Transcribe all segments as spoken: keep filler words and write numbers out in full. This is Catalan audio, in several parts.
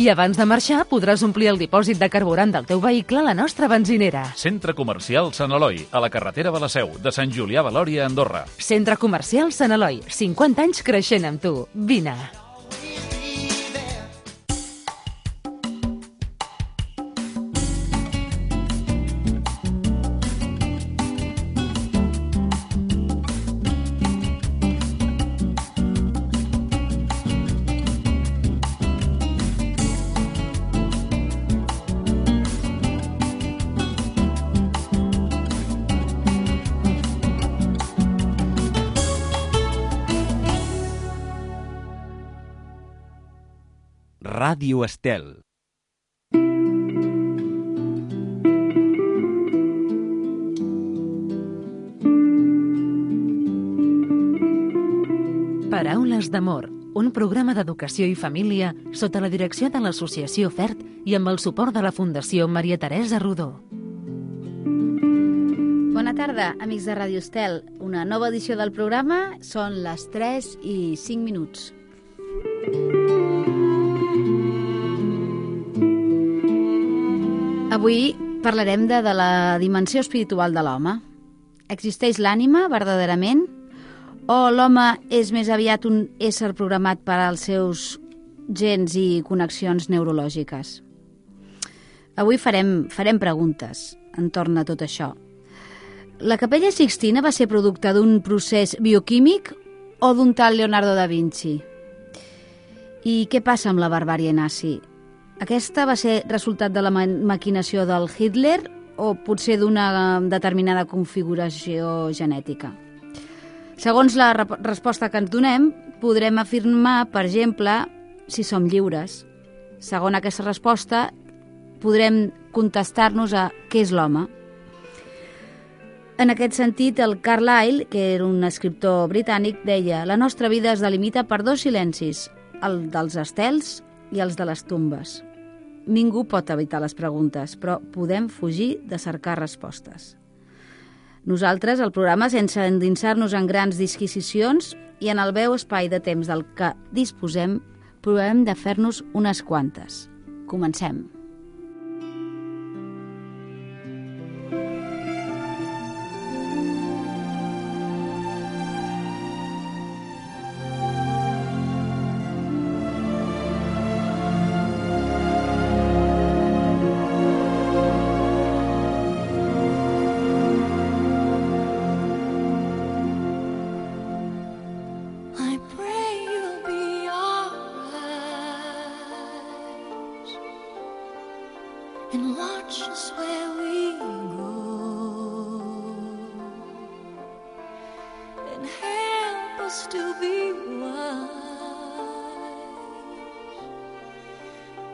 I abans de marxar podràs omplir el dipòsit de carburant del teu vehicle a la nostra benzinera. Centre Comercial Sant Eloi, a la carretera de la Seu, de Sant Julià de Lòria a Andorra. Centre Comercial Sant Eloi, cinquanta anys creixent amb tu. Vine. Ràdio Estel. Paraules d'amor, un programa d'educació i família sota la direcció de l'Associació FERT i amb el suport de la Fundació Maria Teresa Rodó. Bona tarda, amics de Ràdio Estel. Una nova edició del programa, són les tres i cinc minuts. Avui parlarem de, de la dimensió espiritual de l'home. Existeix l'ànima, verdaderament? O l'home és més aviat un ésser programat per als seus gens i connexions neurològiques? Avui farem, farem preguntes entorn a tot això. La Capella Sixtina va ser producte d'un procés bioquímic o d'un tal Leonardo da Vinci? I què passa amb la barbàrie nazi? Aquesta va ser resultat de la ma maquinació del Hitler o potser d'una determinada configuració genètica? Segons la re resposta que ens donem, podrem afirmar, per exemple, si som lliures. Segons aquesta resposta, podrem contestar-nos a què és l'home. En aquest sentit, el Carlyle, que era un escriptor britànic, deia: la nostra vida es delimita per dos silencis, el dels estels i els de les tombes. Ningú pot evitar les preguntes, però podem fugir de cercar respostes. Nosaltres, al programa, sense endinsar-nos en grans disquisicions i en el breu espai de temps del que disposem, provem de fer-nos unes quantes. Comencem.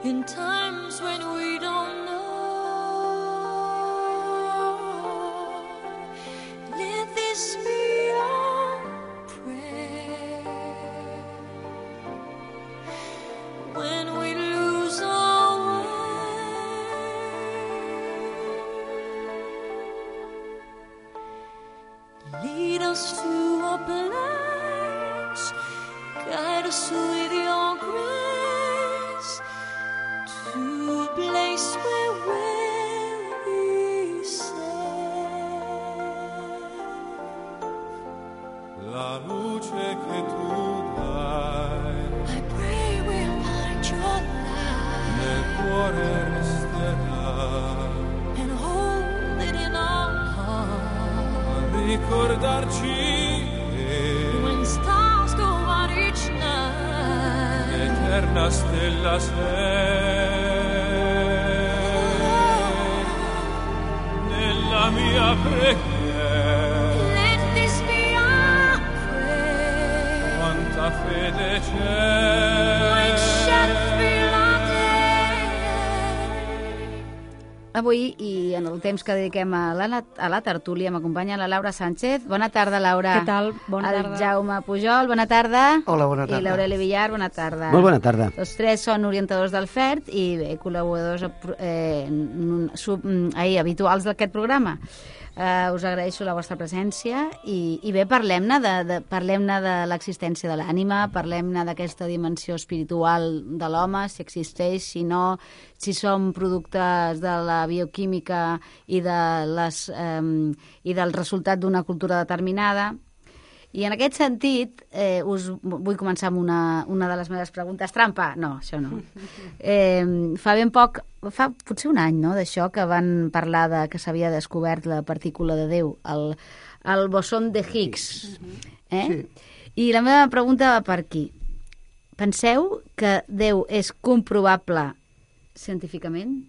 In times when we don't know, let this be our prayer. When we lose our way, lead us to a place, guide us with your grace. Place where we'll be safe. La luce che tu dai, I pray we'll find your light nel cuore resterà, and hold it in our heart. a ricordarci When stars go out each night, l'eterna stella sei. La mia preghiera, let this be our prayer. quanta fede c'è. Like Shakespeare our day. Avui, i en el temps que dediquem a la, a la tertúlia, m'acompanya la Laura Sánchez. Bona tarda, Laura. Què tal? Bona el tarda. Jaume Pujol, bona tarda. Hola, bona tarda. I l'Aureli Villar, bona tarda. Molt bona tarda. Tots tres són orientadors del FERT i bé, col·laboradors eh, sub, eh, habituals d'aquest programa. Uh, us agraeixo la vostra presència i, i bé, parlem-ne de, de, parlem-ne de l'existència de l'ànima, parlem-ne d'aquesta dimensió espiritual de l'home, si existeix, si no, si som productes de la bioquímica i, de les, um, i del resultat d'una cultura determinada. I en aquest sentit, eh, us vull començar amb una, una de les meves preguntes trampa. No, això no. Eh, fa ben poc, fa potser un any, no?, d'això, que van parlar de que s'havia descobert la partícula de Déu, el, el bosón de Higgs. Eh? Sí. I la meva pregunta va per aquí. Penseu que Déu és comprovable científicament?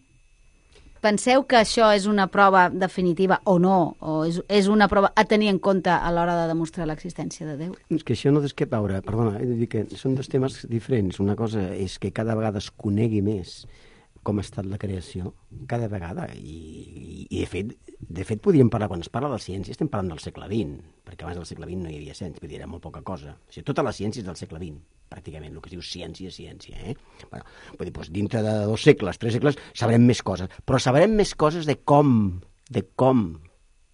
Penseu que això és una prova definitiva o no? O és, és una prova a tenir en compte a l'hora de demostrar l'existència de Déu? És que això no és que veure, perdona, he de dir que són dos temes diferents. Una cosa és que cada vegada es conegui més com ha estat la creació, cada vegada, i, i de fet, de fet podríem parlar, quan es parla de ciència, estem parlant del segle vint, perquè abans del segle vint no hi havia ciència, vull dir, era molt poca cosa. O sigui, tota la ciència és del segle vint, pràcticament, el que es diu ciència, ciència, eh? Bueno, vull dir, doncs, dintre de dos segles, tres segles, sabrem més coses, però sabrem més coses de com, de com,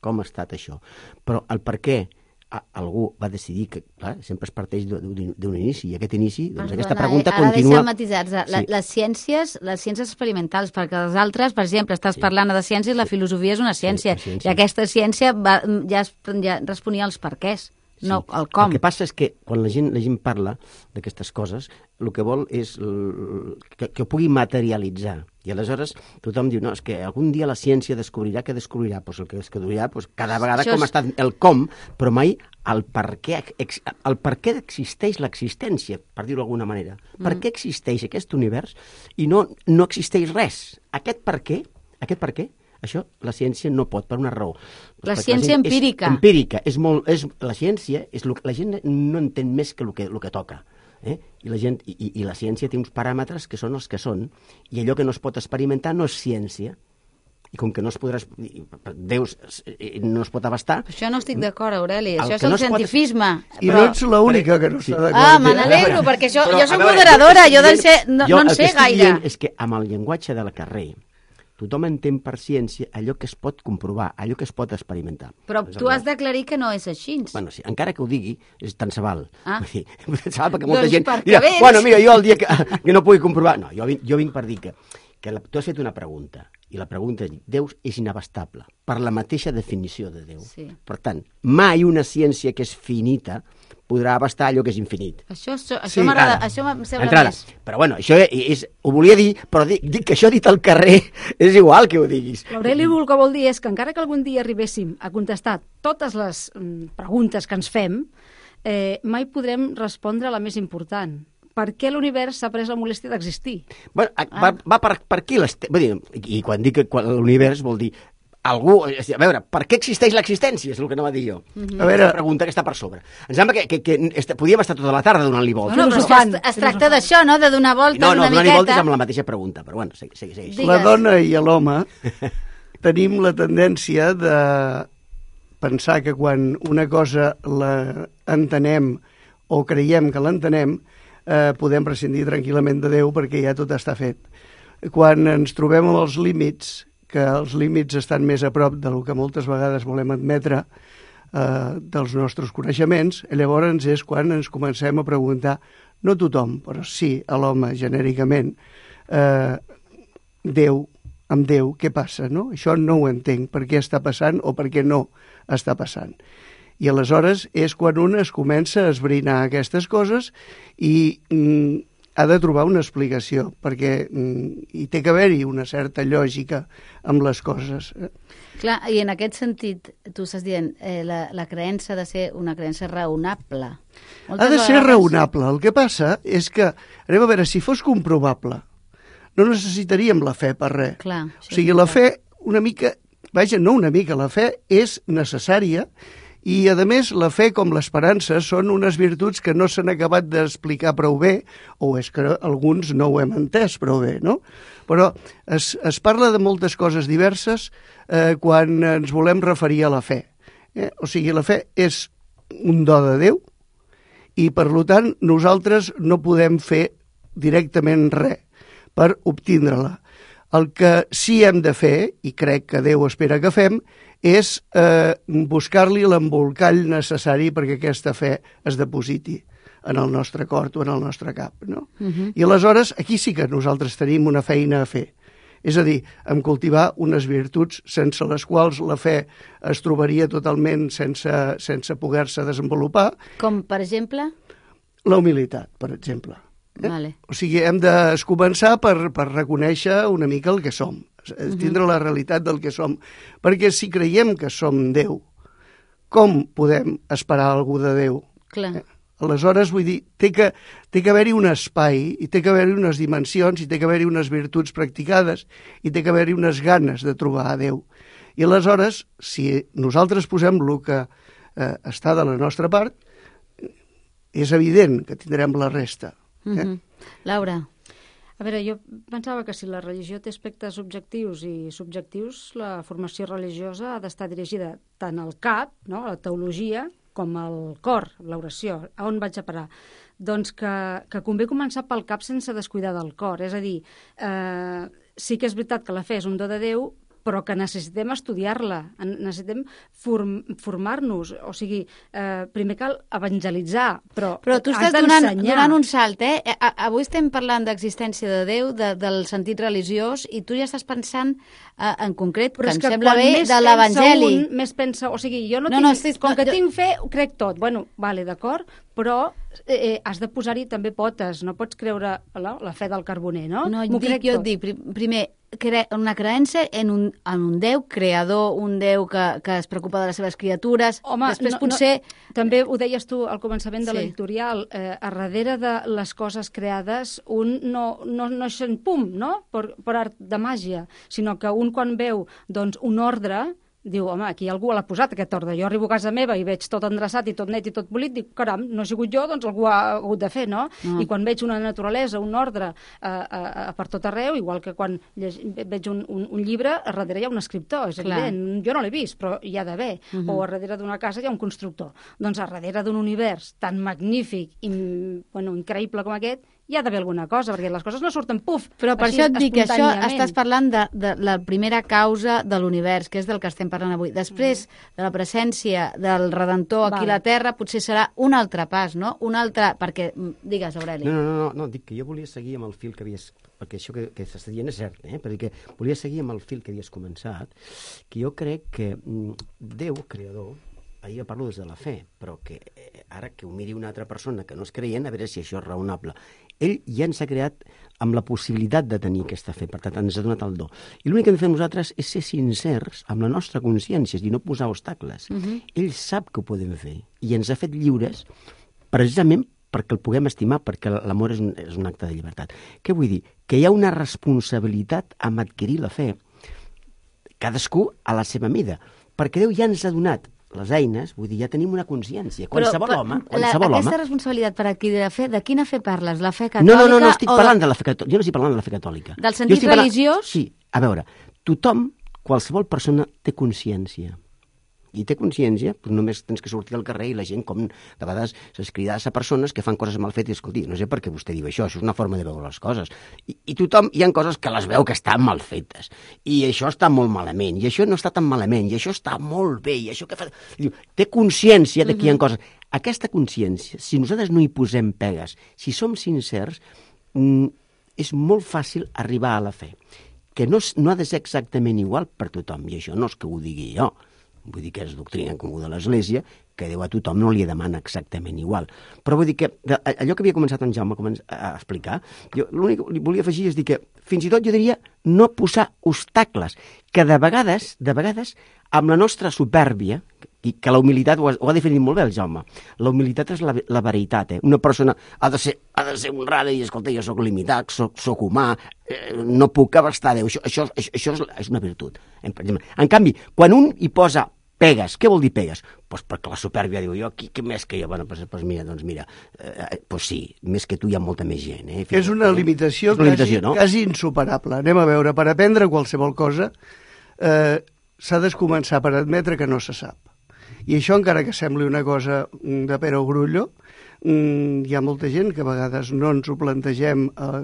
com ha estat això. Però el per què algú va decidir que, clar, sempre es parteix d'un inici, i aquest inici, doncs Perdona, aquesta pregunta ara continua... Ara deixa'm matisar-se. Sí. Les ciències, les ciències experimentals, perquè les altres, per exemple, estàs sí. parlant de ciències, la filosofia és una ciència, sí, ciència. I aquesta ciència va, ja, es, ja responia als perquès. No, sí. el com. El que passa és que quan la gent, la gent parla d'aquestes coses, el que vol és l... que, que ho pugui materialitzar. I aleshores tothom diu, no, és que algun dia la ciència descobrirà que descobrirà. Pues el que descobrirà, pues, cada vegada Això com és... ha estat el com, però mai el per què, el per què existeix l'existència, per dir-ho d'alguna manera. Mm. Per què existeix aquest univers i no, no existeix res? Aquest per què, aquest per què, això la ciència no pot, per una raó. La doncs ciència la empírica. És empírica. És molt, és, la ciència, és lo, la gent no entén més que el que, el que toca. Eh? I, la gent, i, I la ciència té uns paràmetres que són els que són, i allò que no es pot experimentar no és ciència. I com que no es podrà... Déu no es pot abastar... Això no estic d'acord, Aureli. Això és el no cientifisme. Pot... I però... no ets l'única que no està d'acord. Ah, me n'alegro, perquè això, però, jo soc moderadora, jo, jo, sé, no, jo no en sé gaire. És que amb el llenguatge del carrer tothom entén per ciència allò que es pot comprovar, allò que es pot experimentar. Però tu has d'aclarir que no és així. Bueno, sí, encara que ho digui, és tant se val. Ah. Dir, se val perquè molta doncs gent dirà, vens... bueno, mira, jo el dia que, que no pugui comprovar... No, jo vinc, jo vinc per dir que, que la, tu has fet una pregunta, i la pregunta és, Déu és inabastable, per la mateixa definició de Déu. Sí. Per tant, mai una ciència que és finita podrà abastar allò que és infinit. Això, això, això sí, m'agrada, això em sembla entrada. Més. Però bueno, això és, ho volia dir, però dic, dic que això dit al carrer és igual que ho diguis. L'Aureli el que vol dir és que encara que algun dia arribéssim a contestar totes les mm, preguntes que ens fem, eh, mai podrem respondre a la més important. Per què l'univers s'ha pres la molèstia d'existir? Bueno, ah. va, va per, per aquí, vull dir, i quan dic que l'univers vol dir algú, a veure, per què existeix l'existència? És el que no va dir jo. Uh -huh. A veure, una pregunta que està per sobre. Em sembla que, que, que est, podíem estar tota la tarda donant-li voltes. No, no, però es, es, es tracta d'això, no?, de donar voltes no, no, una miqueta. No, no, donar-li voltes amb la mateixa pregunta, però bueno, segueix. segueix. La dona i l'home tenim la tendència de pensar que quan una cosa l'entenem o creiem que l'entenem, eh, podem prescindir tranquil·lament de Déu perquè ja tot està fet. Quan ens trobem amb els límits, que els límits estan més a prop del que moltes vegades volem admetre eh, dels nostres coneixements, llavors és quan ens comencem a preguntar, no tothom, però sí a l'home genèricament, eh, Déu, amb Déu, què passa? No? Això no ho entenc, per què està passant o per què no està passant. I aleshores és quan un es comença a esbrinar aquestes coses i mm, ha de trobar una explicació, perquè mm, hi té que haver-hi una certa lògica amb les coses. Clar, i en aquest sentit, tu estàs dient, eh, la, la creença ha de ser una creença raonable. Moltes ha de ser vegades... raonable. El que passa és que, anem a veure, si fos comprovable, no necessitaríem la fe per res. Clar, o sigui, la fe, una mica, vaja, no una mica, la fe és necessària. I, a més, la fe com l'esperança són unes virtuts que no s'han acabat d'explicar prou bé, o és que alguns no ho hem entès prou bé, no? Però es, es parla de moltes coses diverses eh, quan ens volem referir a la fe. Eh? O sigui, la fe és un do de Déu i, per tant, nosaltres no podem fer directament res per obtindre-la. El que sí hem de fer, i crec que Déu espera que fem, és eh, buscar-li l'embolcall necessari perquè aquesta fe es depositi en el nostre cor o en el nostre cap, no? Uh-huh. I aleshores aquí sí que nosaltres tenim una feina a fer. És a dir, en cultivar unes virtuts sense les quals la fe es trobaria totalment sense, sense poder-se desenvolupar. Com, per exemple? La humilitat, per exemple. Eh? Vale. O sigui, hem de començar per, per reconèixer una mica el que som, tindre la realitat del que som. Perquè si creiem que som Déu, com podem esperar algú de Déu? Clar. Eh? Aleshores, vull dir, té que, té que haver-hi un espai, i té que haver-hi unes dimensions, i té que haver-hi unes virtuts practicades, i té que haver-hi unes ganes de trobar a Déu. I aleshores, si nosaltres posem el que eh, està de la nostra part, és evident que tindrem la resta. Eh? Mm-hmm. Laura. A veure, jo pensava que si la religió té aspectes objectius i subjectius, la formació religiosa ha d'estar dirigida tant al cap, no?, a la teologia, com al cor, l'oració. A on vaig a parar? Doncs que, que convé començar pel cap sense descuidar del cor. És a dir, eh, sí que és veritat que la fe és un do de Déu, però que necessitem estudiar-la, necessitem form, formar-nos. O sigui, eh, primer cal evangelitzar, però, però tu estàs donant, donant un salt, eh? A, avui estem parlant d'existència de Déu, de, del sentit religiós, i tu ja estàs pensant eh, en concret, però que em que sembla bé, de l'Evangeli. Un, més pensa, o sigui, jo no, no tinc, no, estic, com que jo... tinc fe, ho crec tot. Bueno, vale, d'acord, però eh, has de posar-hi també potes, no pots creure la, la fe del carboner, no? No, dic, jo et dic, primer, cre una creença en un, en un Déu creador, un Déu que, que es preocupa de les seves criatures. Home, després no, potser... No, també ho deies tu al començament de sí. l'editorial, eh, a darrere de les coses creades un no, no, no és en pum, no?, per, per art de màgia, sinó que un quan veu doncs, un ordre, diu, home, aquí algú l'ha posat, aquest ordre. Jo arribo a casa meva i veig tot endreçat i tot net i tot polit, dic, caram, no he sigut jo, doncs algú ha hagut de fer, no? Mm. I quan veig una naturalesa, un ordre eh, eh, per tot arreu, igual que quan veig un, un, un llibre, a darrere hi ha un escriptor, és Clar. evident. Jo no l'he vist, però hi ha d'haver. Mm -hmm. O a darrere d'una casa hi ha un constructor. Doncs a darrere d'un univers tan magnífic i bueno, increïble com aquest, hi ha d'haver alguna cosa, perquè les coses no surten puf. Però per així, això et dic que això espontàniament. estàs parlant de, de la primera causa de l'univers, que és del que estem parlant avui. Després de la presència del Redentor aquí vale. a la Terra, potser serà un altre pas, no? Un altre... Perquè, digues, Aureli. No, no, no, no, dic que jo volia seguir amb el fil que havies... Perquè això que, que s'està dient és cert, eh? Perquè volia seguir amb el fil que havies començat, que jo crec que mm, Déu, creador, ahir parlo des de la fe, però que eh, ara que ho miri una altra persona que no és creient, a veure si això és raonable. Ell ja ens ha creat amb la possibilitat de tenir aquesta fe, per tant, ens ha donat el do. I l'únic que hem de fer nosaltres és ser sincers amb la nostra consciència, és a dir, no posar obstacles. Uh-huh. Ell sap que ho podem fer i ens ha fet lliures precisament perquè el puguem estimar, perquè l'amor és, un, és un acte de llibertat. Què vull dir? Que hi ha una responsabilitat amb adquirir la fe, cadascú a la seva mida, perquè Déu ja ens ha donat les eines, vull dir, ja tenim una consciència. Qualsevol Però, home, la, qualsevol aquesta home... responsabilitat per adquirir la fe, de quina fe parles? La fe catòlica? No, no, no, no estic o parlant de... de la fe catòlica. Jo no estic parlant de la fe catòlica. Del sentit parlant... religiós? Sí, a veure, tothom, qualsevol persona té consciència. I té consciència, però només tens que sortir al carrer i la gent, com de vegades s'escridar a persones que fan coses mal fetes, i escolti, no sé per què vostè diu això, això és una forma de veure les coses. I, i tothom, hi ha coses que les veu que estan mal fetes, i això està molt malament, i això no està tan malament, i això està molt bé, i això que fa... Diu, té consciència de que hi ha coses. Aquesta consciència, si nosaltres no hi posem pegues, si som sincers, mm, és molt fàcil arribar a la fe, que no, no ha de ser exactament igual per tothom, i això no és que ho digui jo, vull dir que és doctrina comú de l'Església, que Déu a tothom no li demana exactament igual. Però vull dir que allò que havia començat en Jaume a explicar, jo l'únic que volia afegir és dir que fins i tot jo diria no posar obstacles, que de vegades, de vegades, amb la nostra supèrbia, i que la humilitat ho ha, ho ha definit molt bé el Jaume, la humilitat és la, la veritat, eh? Una persona ha de ser, ha de ser honrada i, escolta, jo sóc limitat, soc, soc humà, eh, no puc abastar Déu, això, això, això, això és, és una virtut. En, en canvi, quan un hi posa pegues, què vol dir pegues? Pues perquè la supèrbia diu, jo, qui, qui més que jo? Bueno, pues, pues mira, doncs mira, eh, pues sí, més que tu hi ha molta més gent. Eh? És una limitació, és una limitació quasi, no? quasi insuperable. Anem a veure, per aprendre qualsevol cosa eh, s'ha de començar per admetre que no se sap. I això, encara que sembli una cosa de Pere o Grullo, mm, hi ha molta gent que a vegades no ens ho plantegem, eh,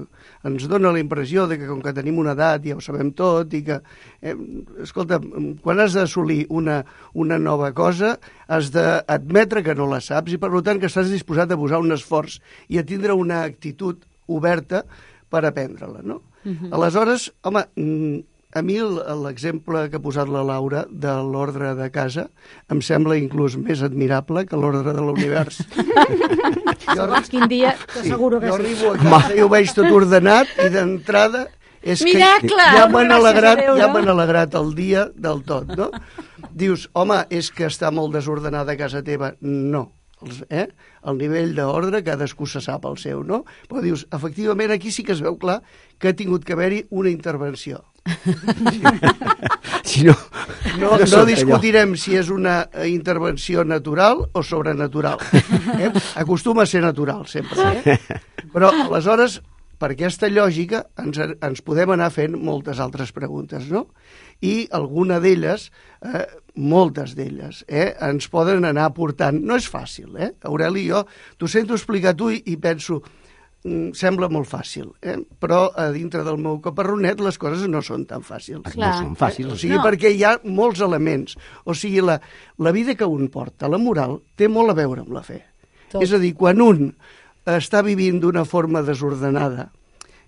ens dona la impressió de que com que tenim una edat ja ho sabem tot i que, eh, escolta, quan has d'assolir una, una nova cosa has d'admetre que no la saps i per tant que estàs disposat a posar un esforç i a tindre una actitud oberta per aprendre-la, no? Uh-huh. Aleshores, home, a mi l'exemple que ha posat la Laura de l'ordre de casa em sembla inclús més admirable que l'ordre de l'univers. Segons quin dia, t'asseguro que jo sí. arribo a casa i ho veig tot ordenat i d'entrada és Miracle! que ja m'han Gràcies alegrat, a Déu, ja no? m'han alegrat el dia del tot, no? Dius, home, és que està molt desordenada a casa teva. No. Eh? El nivell d'ordre, cadascú se sap el seu, no? Però dius, efectivament, aquí sí que es veu clar que ha tingut que haver-hi una intervenció. Si no, no, no discutirem si és una intervenció natural o sobrenatural. Eh? Acostuma a ser natural, sempre. Eh? Però, aleshores, per aquesta lògica ens, ens podem anar fent moltes altres preguntes, no? I alguna d'elles, eh, moltes d'elles, eh, ens poden anar portant... No és fàcil, eh? Aureli, jo t'ho sento explicar tu i, i penso... sembla molt fàcil, eh? Però a dintre del meu caparronet les coses no són tan fàcils. No són fàcils. O sigui, no. perquè hi ha molts elements. O sigui, la, la vida que un porta, la moral, té molt a veure amb la fe. Tot. És a dir, quan un està vivint d'una forma desordenada,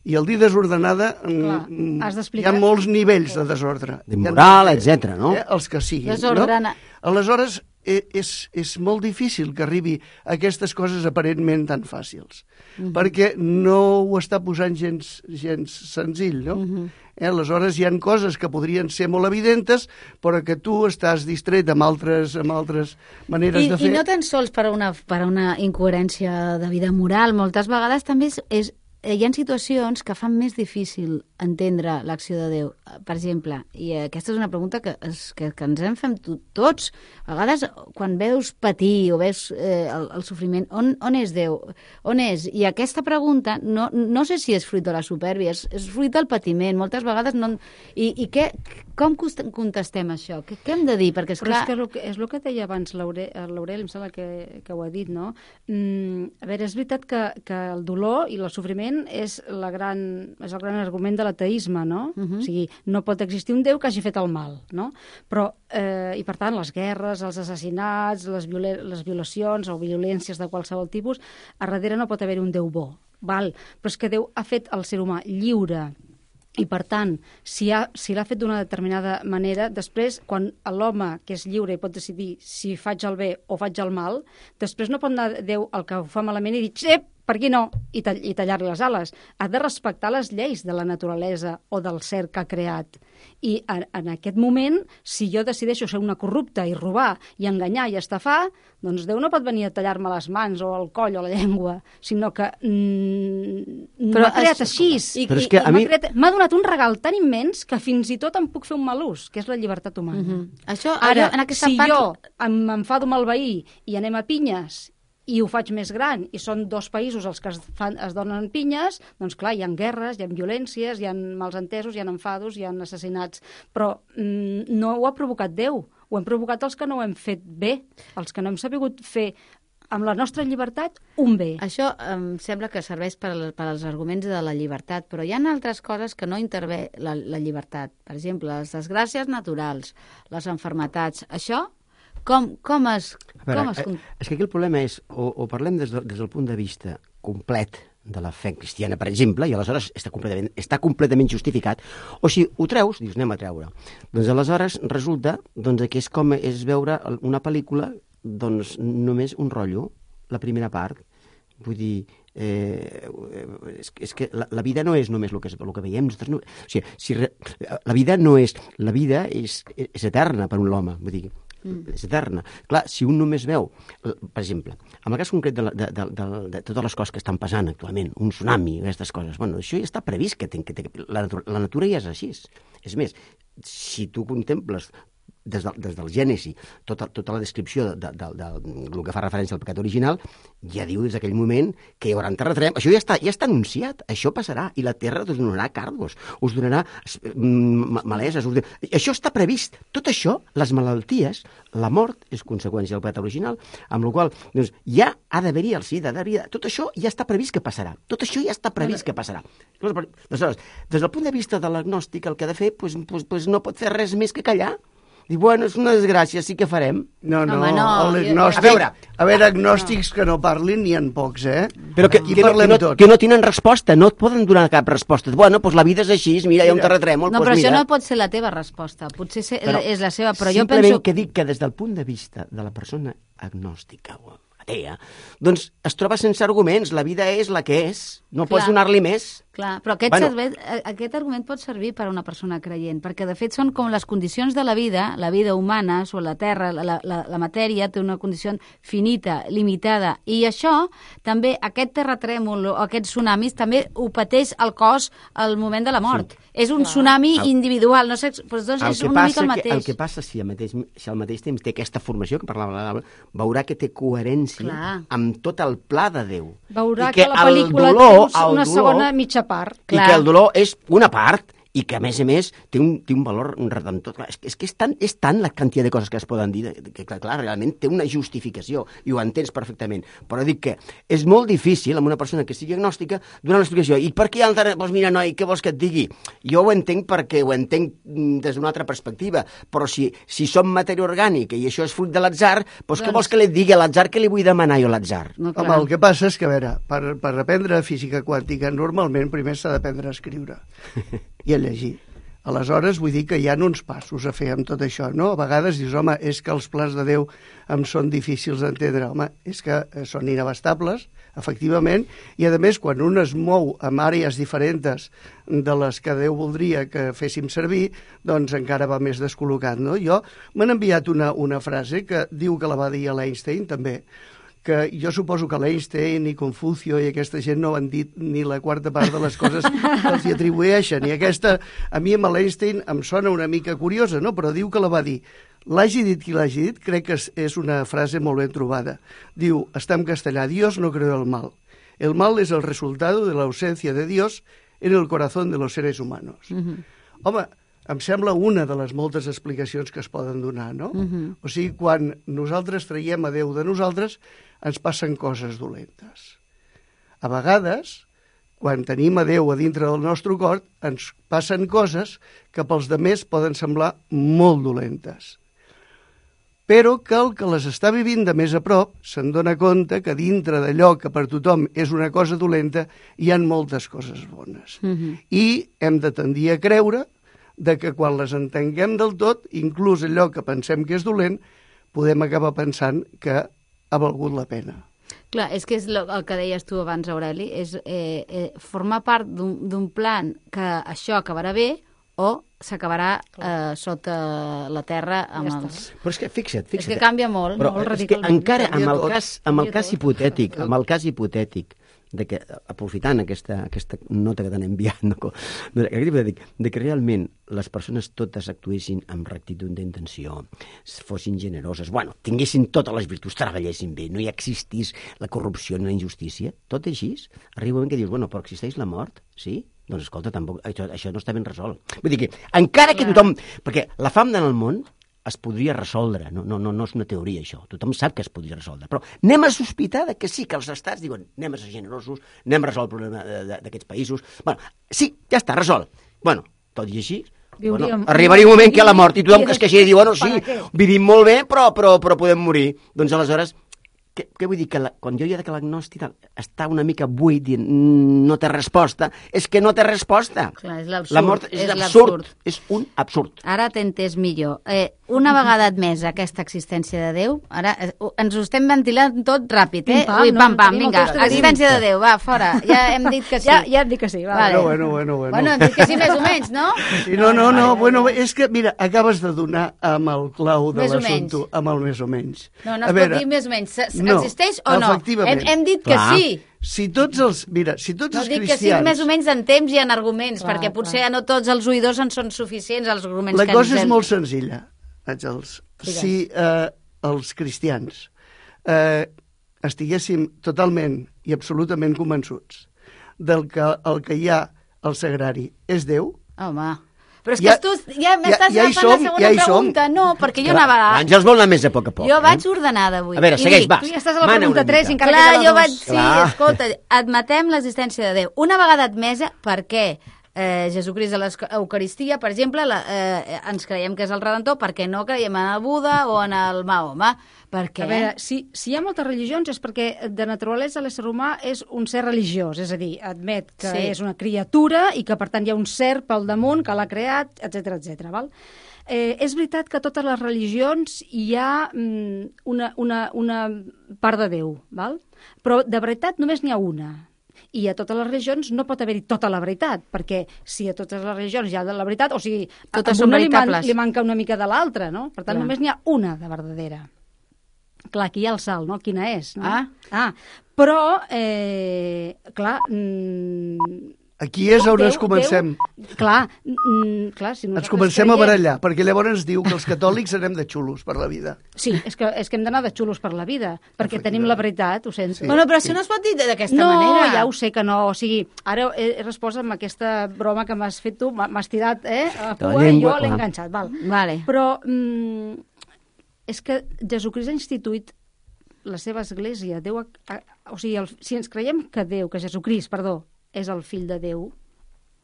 i el dir desordenada, Clar, hi ha molts nivells de desordre. De moral, etcètera, no? Eh, els que siguin. Desordena. No? Aleshores, és, és molt difícil que arribi a aquestes coses aparentment tan fàcils, uh-huh. perquè no ho està posant gens, gens senzill, no? Uh-huh. Eh, aleshores hi ha coses que podrien ser molt evidentes, però que tu estàs distret amb altres, amb altres maneres I, de fer. I no tan sols per a una, per a una incoherència de vida moral, moltes vegades també és, és hi ha situacions que fan més difícil entendre l'acció de Déu. Per exemple, i aquesta és una pregunta que, es, que, que ens en fem tots, a vegades quan veus patir o veus eh, el, el sofriment, on, on és Déu? On és? I aquesta pregunta no, no sé si és fruit de la supèrbia, és, és fruit del patiment, moltes vegades no... I, i què, com contestem això? Què, què hem de dir? Perquè, Però esclar... és que, el que és el que deia abans l'Aureli, em sembla que, que ho ha dit, no? Mm, a veure, és veritat que, que el dolor i el sofriment és, la gran, és el gran argument de l'ateisme, no? Uh-huh. O sigui, no pot existir un Déu que hagi fet el mal, no? Però, eh, i per tant, les guerres, els assassinats, les, viola les violacions o violències de qualsevol tipus, a darrere no pot haver un Déu bo, val? Però és que Déu ha fet el ser humà lliure, i, per tant, si, ha, si l'ha fet d'una determinada manera, després, quan l'home, que és lliure i pot decidir si faig el bé o faig el mal, després no pot anar Déu el que ho fa malament i dir, xep, per aquí no, i, tall i tallar-li les ales. Ha de respectar les lleis de la naturalesa o del ser que ha creat. I en, en aquest moment, si jo decideixo ser una corrupta i robar i enganyar i estafar, doncs Déu no pot venir a tallar-me les mans o el coll o la llengua, sinó que mm, m'ha creat és... així. I, Però és i, que a m'ha mi... creat... donat un regal tan immens que fins i tot em puc fer un mal ús, que és la llibertat humana. Mm-hmm. Això, Ara, en aquesta si part... jo m'enfado amb el veí i anem a pinyes i ho faig més gran, i són dos països els que es, fan, es donen pinyes, doncs clar, hi ha guerres, hi ha violències, hi ha mals entesos, hi ha enfados, hi ha assassinats, però mm, no ho ha provocat Déu, ho hem provocat els que no ho hem fet bé, els que no hem sabut fer amb la nostra llibertat un bé. Això em sembla que serveix per, per als arguments de la llibertat, però hi ha altres coses que no intervé la, la llibertat. Per exemple, les desgràcies naturals, les enfermetats, això... Com, com es... Veure, com es... És que aquí el problema és, o, o parlem des, de, des del punt de vista complet de la fe cristiana, per exemple, i aleshores està completament, està completament justificat, o si ho treus, dius, anem a treure. Doncs aleshores resulta doncs, que és com és veure una pel·lícula, doncs només un rotllo, la primera part. Vull dir, eh, és, és que la, la vida no és només el que, el que veiem. No, o sigui, si re, la vida no és... La vida és, és eterna per un home, vull dir, és eterna. Clar, si un només veu, per exemple, en el cas concret de, la, de, de, de, de totes les coses que estan passant actualment, un tsunami, aquestes coses, bueno, això ja està previst, que, ten, que ten, la, natura, la natura ja és així. És més, si tu contemples des, de, des del Gènesi, tota, tota la descripció de, de, de, de, del que fa referència al pecat original, ja diu des d'aquell moment que hi haurà un terratrèmol. Això ja està, ja està anunciat, això passarà, i la terra us donarà cardos, us donarà mm, maleses, us donarà... Això està previst. Tot això, les malalties, la mort és conseqüència del pecat original, amb la qual doncs, ja ha d'haver-hi el sida, tot això ja està previst que passarà. Tot això ja està previst que passarà. Aleshores, des del punt de vista de l'agnòstic, el que ha de fer pues, pues, pues no pot fer res més que callar. Dic, bueno, és una desgràcia, sí que farem. No, no, Home, no. l'agnòstic... A veure, a veure, agnòstics que no parlin n'hi ha pocs, eh? Però que, Aquí que, parlem no, que, no, tots. que no tenen resposta, no et poden donar cap resposta. Bueno, doncs la vida és així, mira, hi ha un terratrèmol, No, doncs però mira. això no pot ser la teva resposta. Potser ser, Però és la seva, però jo simplement penso... que dic que des del punt de vista de la persona agnòstica o atea, doncs es troba sense arguments, la vida és la que és, no Clar. pots donar-li més. Clar, però aquest, Bueno. servei, aquest argument pot servir per a una persona creient, perquè de fet són com les condicions de la vida, la vida humana, sobre la Terra, la, la, la matèria té una condició finita, limitada, i això també, aquest terratrèmol o aquests tsunamis, també ho pateix el cos al moment de la mort. Sí. És un Clar. tsunami El- individual, no sé, doncs, doncs El és que, una mica passa el que, mateix. el que passa si al, mateix, si al mateix temps té aquesta formació que parlava la Laura, veurà que té coherència Clar. amb tot el pla de Déu. Veurà I que, la el pel·lícula dolor, té una el segona dolor, mitja part. i que el dolor és una part i que, a més a més, té un, té un valor redemptor. Clar, és, que- és que és tant, és tant la quantitat de coses que es poden dir, que, clar, clar, realment té una justificació, i ho entens perfectament. Però dic que és molt difícil, amb una persona que sigui agnòstica, donar una explicació. I per què hi ha el terra... Doncs mira, noi, què vols que et digui? Jo ho entenc perquè ho entenc mm, des d'una altra perspectiva, però si, si som matèria orgànica i això és fruit de l'atzar, doncs, doncs... què vols que li digui a l'atzar? Què li vull demanar jo a l'atzar? No, Home, clar. el que passa és que, a veure, per, per aprendre física quàntica, normalment primer s'ha d'aprendre a escriure i a llegir. Aleshores, vull dir que hi ha uns passos a fer amb tot això, no? A vegades dius, home, és que els plans de Déu em són difícils d'entendre. Home, és que són inabastables, efectivament, i a més, quan un es mou amb àrees diferents de les que Déu voldria que féssim servir, doncs encara va més descol·locat, no? Jo m'han enviat una, una frase que diu que la va dir a l'Einstein, també, que jo suposo que l'Einstein i Confucio i aquesta gent no han dit ni la quarta part de les coses que els hi atribueixen. I aquesta, a mi amb l'Einstein em sona una mica curiosa, no? Però diu que la va dir. L'hagi dit qui l'hagi dit, crec que és, és una frase molt ben trobada. Diu, està en castellà, Dios no creó el mal. El mal es el resultado de la ausencia de Dios en el corazón de los seres humanos. Uh-huh. Home, em sembla una de les moltes explicacions que es poden donar, no? Uh-huh. O sigui, quan nosaltres traiem a Déu de nosaltres, ens passen coses dolentes. A vegades, quan tenim a Déu a dintre del nostre cor, ens passen coses que pels demés poden semblar molt dolentes. Però que el que les està vivint de més a prop se'n dona compte que dintre d'allò que per tothom és una cosa dolenta hi ha moltes coses bones. Uh-huh. I hem de tendir a creure de que quan les entenguem del tot, inclús allò que pensem que és dolent, podem acabar pensant que ha valgut la pena. Clar, és que és el que deies tu abans, Aureli, és eh, eh, formar part d'un plan que això acabarà bé o s'acabarà eh, sota la terra amb Ja els... Però és que fixa't, fixa't. És que canvia molt, Però molt és que radicalment. encara amb el tot. cas, amb el Canvia cas tot. hipotètic, amb el cas hipotètic, de que, aprofitant aquesta, aquesta nota que t'han enviat, no, de, aquest hipotètic, de que realment les persones totes actuessin amb rectitud d'intenció, fossin generoses, bueno, tinguessin totes les virtuts, treballessin bé, no hi existís la corrupció ni la injustícia, tot així, arriba un moment que dius, bueno, però existeix la mort, sí? Doncs escolta, tampoc, això, això no està ben resolt. Vull dir que, encara que tothom... Perquè la fam en el món es podria resoldre, no, no, no, no és una teoria això, tothom sap que es podria resoldre, però anem a sospitar de que sí, que els estats diuen anem a ser generosos, anem a resoldre el problema d'aquests països, bueno, sí, ja està, resolt. Bueno, tot i així, bueno, arribaria un moment que hi ha la mort i tothom que es queixi i diu, bueno, sí, vivim molt bé, però, però, però podem morir. Doncs aleshores, què, què vull dir? Que la, quan jo hi ha que l'agnòstic està una mica buit, dient, no té resposta, és que no té resposta. Clar, és l'absurd. La mort és, és absurd, l'absurd. és un absurd. Ara t'he entès millor. Eh, una vegada admesa aquesta existència de Déu, ara eh, ens ho estem ventilant tot ràpid, eh? Pim-pam, Ui, no? pam, pam, Tenim vinga, moltes coses a dir. existència de Déu, va, fora. Ja hem dit que sí. Ja, ja et dic que sí, va. Vale. Bueno, bueno, bueno. Bueno, hem dit que sí més o menys, no? Sí, no, no, no, bueno, és que, mira, acabes de donar amb el clau de Més o l'assumpte, menys. amb el més o menys. No, no A es veure, pot dir més o menys. S- no, Existeix o no? efectivament. Hem, hem dit que Clar. sí. Si tots els, mira, si tots No els dic que sí cristians... més o menys en temps i en arguments, Clar, perquè potser clar. no tots els oïdors en són suficients, els arguments La que cosa ens és hem... molt senzilla. Àngels, Digues. si eh, els cristians eh, estiguéssim totalment i absolutament convençuts del que el que hi ha al sagrari és Déu... Home... Però és Ja- que tu ja m'estàs ja- ja hi agafant som, la segona ja hi som. pregunta. No, perquè jo anava... L'Àngels vol anar més a poc a poc. Jo eh? vaig ordenada avui. A veure, I segueix, dic, va. Tu ja estàs a la Mana pregunta una tres, mica. encara Clar, queda la jo dos. vaig... Sí, Clar. escolta, admetem l'existència de Déu. Una vegada admesa, per què eh, Jesucrist a l'Eucaristia, per exemple, la, eh, ens creiem que és el Redentor, perquè no creiem en el Buda o en el Mahoma? Per què? A veure, si, si hi ha moltes religions és perquè de naturalesa l'ésser humà és un ser religiós, és a dir, admet que Sí. és una criatura i que per tant hi ha un ser pel damunt que l'ha creat, etcètera, etcètera. Val? Eh, és veritat que a totes les religions hi ha mm, una, una, una part de Déu, val? Però de veritat només n'hi ha una. I a totes les religions no pot haver-hi tota la veritat, perquè si a totes les religions hi ha de la veritat, o sigui, Totes a són una li, man, veritables. li manca una mica de l'altra, no? Per tant, Clar. només n'hi ha una de verdadera. Clar, aquí hi ha el salt, no? Quina és, no? Ah. ah però, eh, clar... Mm, Aquí és on Déu- ens comencem, Déu, clar, mm, clar, si ens nosaltres comencem a creiem- barallar, perquè llavors ens diu que els catòlics anem de xulos per la vida. Sí, és que, és que hem d'anar de xulos per la vida, perquè tenim la veritat, ho sento. Sí. Bueno, però això no es pot dir d'aquesta no, manera. ja ho sé que no. O sigui, ara he, he respost amb aquesta broma que m'has fet tu, m'ha- m'has tirat eh, a La cua i llengua, jo l'he clar. enganxat. Val. Vale. Però mm, és que Jesucrist ha instituït la seva església. Déu ha, ha, o sigui, el, si ens creiem que Déu, que Jesucrist, perdó, és el fill de Déu,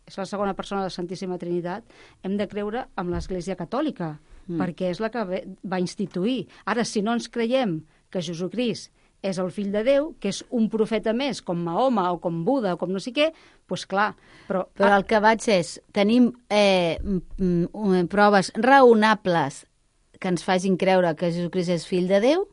és la segona persona de la Santíssima Trinitat, hem de creure amb l'Església Catòlica, mm. perquè és la que ve- va instituir. Ara, si no ens creiem que Jesucrist és el fill de Déu, que és un profeta més, com Mahoma o com Buda o com no sé què, doncs clar, però... Però el que vaig és, tenim eh, mm, mm, proves raonables que ens facin creure que Jesucrist és fill de Déu?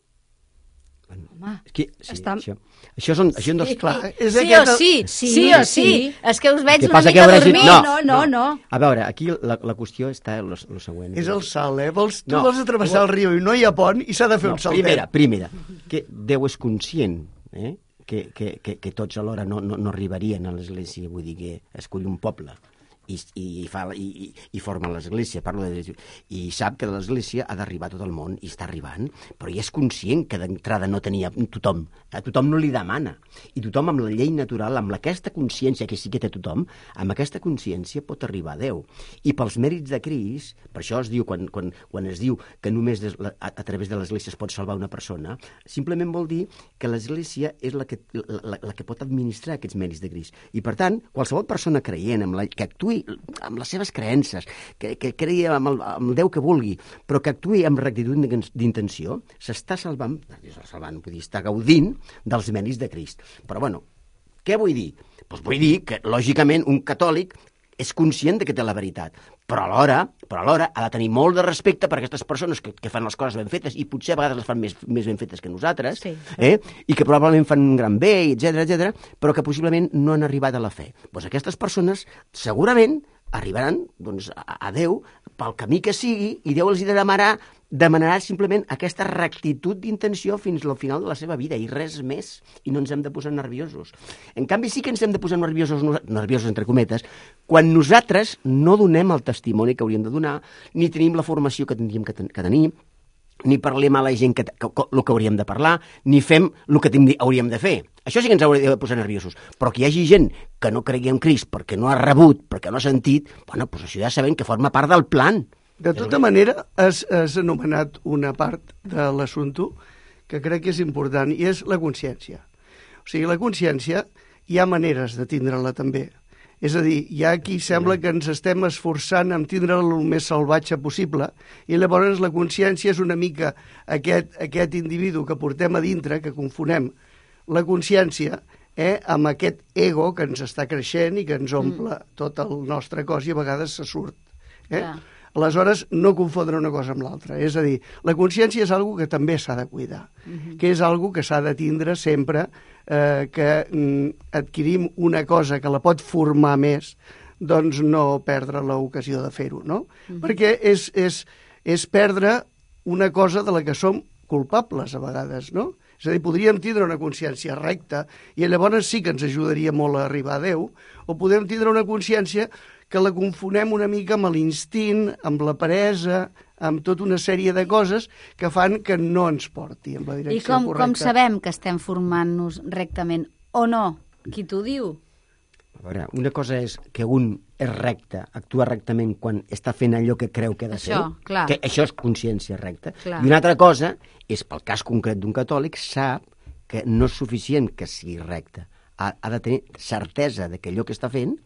Home, És que, sí, Està- això, això són, això són dos... Clar, és Sí aquest o el- sí, Sí, sí o sí. sí. És que us veig Què una passa, que mica hauràs dit- dormint. No, no, no, no. A veure, aquí la, la qüestió està en lo, lo següent. És el salt, eh? Vols, tu No. vols travessar el riu i no hi ha pont i s'ha de fer No, un saltet. primera, primera, que Déu és conscient eh? que, que, que, que tots alhora no, no, no arribarien a l'església, vull dir que escull un poble i, i, i, fa, i, i, i forma l'església, parlo de, i sap que l'església ha d'arribar a tot el món i està arribant, però ja és conscient que d'entrada no tenia tothom, a tothom no li demana, i tothom amb la llei natural, amb aquesta consciència que sí que té tothom, amb aquesta consciència pot arribar a Déu. I pels mèrits de Crist, per això es diu, quan, quan, quan es diu que només des, a, a través de l'església es pot salvar una persona, simplement vol dir que l'església és la que, la, la, la que pot administrar aquests mèrits de Crist. I per tant, qualsevol persona creient, amb la, que actuï amb les seves creences, que, que creï amb el, amb el Déu que vulgui, però que actuï amb rectitud d'intenció, s'està salvant, salvant, vull dir, està gaudint dels mèrits de Crist. Però, bueno, què vull dir? Doncs vull dir que, lògicament, un catòlic és conscient de que té la veritat, però alhora, però alhora ha de tenir molt de respecte per aquestes persones que, que fan les coses ben fetes i potser a vegades les fan més, més ben fetes que nosaltres, Sí. eh? I que probablement fan un gran bé, etcètera, etcètera, però que possiblement no han arribat a la fe. Doncs aquestes persones segurament arribaran doncs, a, a Déu pel camí que sigui i Déu els hi demanarà, demanarà simplement aquesta rectitud d'intenció fins al final de la seva vida i res més, i no ens hem de posar nerviosos. En canvi, sí que ens hem de posar nerviosos, nerviosos entre cometes, quan nosaltres no donem el testimoni que hauríem de donar, ni tenim la formació que tindríem que, ten que tenir, ni parlem a la gent que, que, que, el que hauríem de parlar, ni fem el que hauríem de fer. Això sí que ens hauria de posar nerviosos. Però que hi hagi gent que no cregui en Crist perquè no ha rebut, perquè no ha sentit, bueno, doncs això ja sabem que forma part del plan. De tota manera, has, has anomenat una part de l'assumpte que crec que és important, i és la consciència. O sigui, la consciència hi ha maneres de tindre-la també. És a dir, hi ha qui sembla que ens estem esforçant en tindre-la el més salvatge possible, i llavors la consciència és una mica aquest, aquest individu que portem a dintre, que confonem la consciència eh, amb aquest ego que ens està creixent i que ens omple mm. tot el nostre cos i a vegades se surt. Eh? Clar. Aleshores, no confondre una cosa amb l'altra. És a dir, la consciència és algo que també s'ha de cuidar, mm-hmm. que és algo que s'ha de tindre sempre, eh, que mm, adquirim una cosa que la pot formar més, doncs no perdre l'ocasió de fer-ho, no? Mm-hmm. Perquè és, és, és perdre una cosa de la que som culpables a vegades, no? És a dir, podríem tindre una consciència recta i llavors sí que ens ajudaria molt a arribar a Déu, o podem tindre una consciència que la confonem una mica amb l'instint, amb la peresa, amb tota una sèrie de coses que fan que no ens porti en la direcció I com, correcta. com sabem que estem formant-nos rectament o no? Qui t'ho diu? A veure, una cosa és que un és recte, actua rectament quan està fent allò que creu que ha de Això, fer, clar. que això és consciència recta. Clar. I una altra cosa és, pel cas concret d'un catòlic, sap que no és suficient que sigui recte. Ha, ha de tenir certesa de que allò que està fent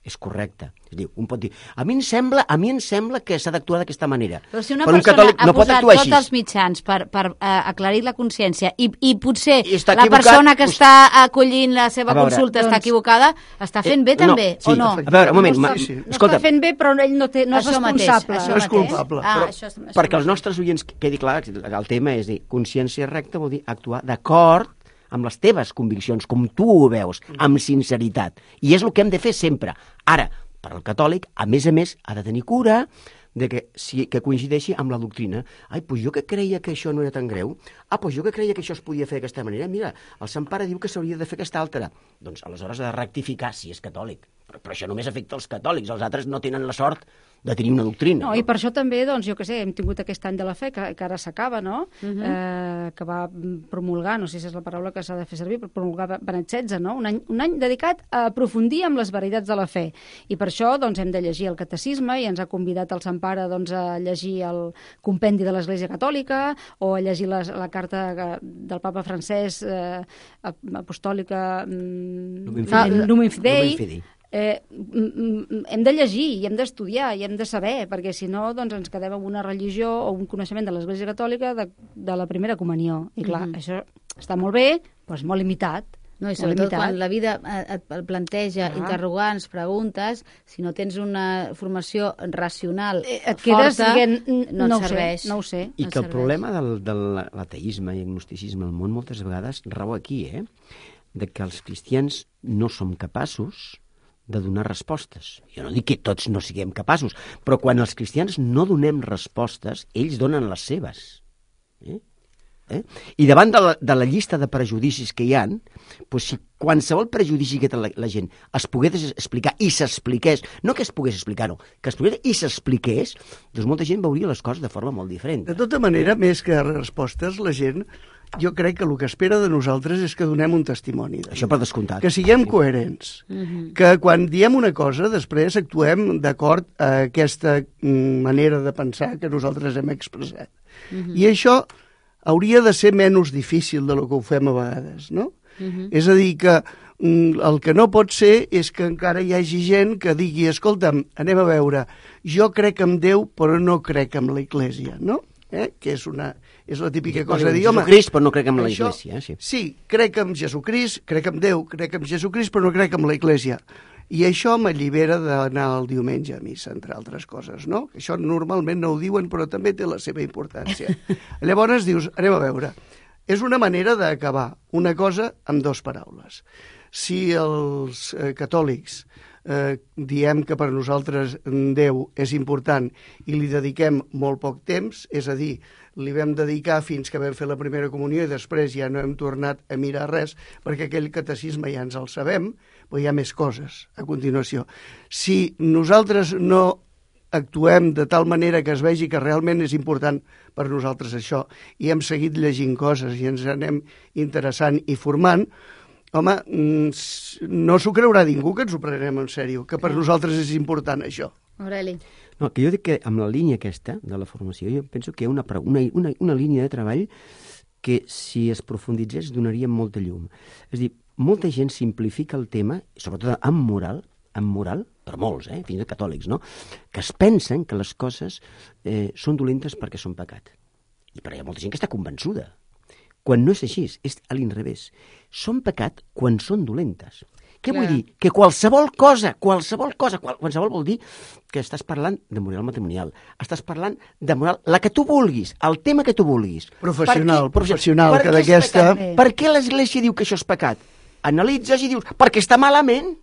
és correcte. És a dir, un pot dir, a mi em sembla, a mi em sembla que s'ha d'actuar d'aquesta manera. Però si una Però un persona catòlic ha no pot posat actuar tots així. els mitjans per, per uh, aclarir la consciència i, i potser I està la equivocat, persona que doncs- està acollint la seva A veure, consulta està doncs- equivocada, està fent bé Eh, també, no, sí, o no? A veure, un moment, no ma, està, sí. no escolta, està fent bé, però ell no, té, no és Això mateix, responsable. això No és mateix. culpable. Ah, però, això és, això perquè els mateix. nostres oients quedi clar, el tema és dir, consciència recta vol dir actuar d'acord amb les teves conviccions, com tu ho veus, amb sinceritat. I és el que hem de fer sempre. Ara, per al catòlic, a més a més, ha de tenir cura de que, si, que coincideixi amb la doctrina. Ai, doncs jo que creia que això no era tan greu. Ah, doncs jo que creia que això es podia fer d'aquesta manera. Mira, el Sant Pare diu que s'hauria de fer aquesta altra. Doncs aleshores ha de rectificar si és catòlic. Però, però això només afecta els catòlics. Els altres no tenen la sort de tenir una doctrina. No, i per això també, doncs, jo què sé, hem tingut aquest any de la fe, que, que ara s'acaba, no? Uh -huh. eh, que va promulgar, no sé si és la paraula que s'ha de fer servir, però promulgar Benet setze, no? Un any, un any dedicat a aprofundir amb les veritats de la fe. I per això, doncs, hem de llegir el catecisme i ens ha convidat el Sant Pare, doncs, a llegir el compendi de l'Església Catòlica o a llegir les, la carta del papa francès eh, apostòlica Lumen ah, Fidei. Lumen Fidei. Lumen Fidei. Eh, hem de llegir i hem d'estudiar i hem de saber, perquè si no doncs ens quedem amb una religió o un coneixement de l'Església Catòlica de, de la primera comunió. I clar, Mhm. això està molt bé, però és molt limitat. No, i molt sobretot limitat. quan la vida et, et planteja Ah. interrogants, preguntes, si no tens una formació racional Eh, et quedes forta, dient, no, no et ho serveix. sé, no ho sé. I no que el serveix. problema del, de l'ateisme i agnosticisme al món moltes vegades rau aquí, eh? De que els cristians no som capaços de donar respostes. Jo no dic que tots no siguem capaços, però quan els cristians no donem respostes, ells donen les seves. Eh? Eh? I davant de la, de la llista de prejudicis que hi ha, doncs si qualsevol prejudici que té la, la gent es pogués explicar i s'expliqués, no que es pogués explicar, no, que es pogués i s'expliqués, doncs molta gent veuria les coses de forma molt diferent. De tota manera, més que respostes, la gent, jo crec que el que espera de nosaltres és que donem un testimoni. De Això per descomptat. que siguem coherents, Mhm. que quan diem una cosa després actuem d'acord a aquesta mm, manera de pensar que nosaltres hem expressat. Mhm. I això hauria de ser menys difícil de lo que ho fem a vegades, no? Mhm. És a dir, que mm, el que no pot ser és que encara hi hagi gent que digui, escolta'm, anem a veure, jo crec en Déu però no crec en la Iglésia, no? Eh? Que és, una, és la típica cosa de dir, home... Jesucrist, però no crec en la això- Iglésia. Eh? Sí. Sí, crec en Jesucrist, crec en Déu, crec en Jesucrist, però no crec en la Iglésia. I això m'allibera d'anar el diumenge a missa, entre altres coses, no? Això normalment no ho diuen, però també té la seva importància. Llavors dius, anem a veure, és una manera d'acabar una cosa amb dues paraules. Si els eh, catòlics eh, diem que per nosaltres Déu és important i li dediquem molt poc temps, és a dir, li vam dedicar fins que vam fer la primera comunió i després ja no hem tornat a mirar res perquè aquell catecisme ja ens el sabem, però hi ha més coses a continuació. Si nosaltres no actuem de tal manera que es vegi que realment és important per nosaltres això i hem seguit llegint coses i ens anem interessant i formant, home, no s'ho creurà ningú que ens ho prenem en sèrio, que per nosaltres és important això. Aureli. No, que jo dic que amb la línia aquesta de la formació, jo penso que hi ha una, una, una, una línia de treball que si es profunditzés donaria molta llum. És a dir, molta gent simplifica el tema, sobretot amb moral, amb moral, per molts, eh, fins i tot catòlics, no? Que es pensen que les coses eh, són dolentes perquè són pecat. I però hi ha molta gent que està convençuda. Quan no és així, és a l'inrevés. Són pecat quan són dolentes. Què Clar. vull dir? Que qualsevol cosa, qualsevol cosa, qual, qualsevol vol dir que estàs parlant de moral matrimonial, estàs parlant de moral, la que tu vulguis, el tema que tu vulguis. Professional, Per què- professional, per que què és d'aquesta- pecat? Per què l'Església diu que això és pecat? Analitzes i dius, perquè està malament.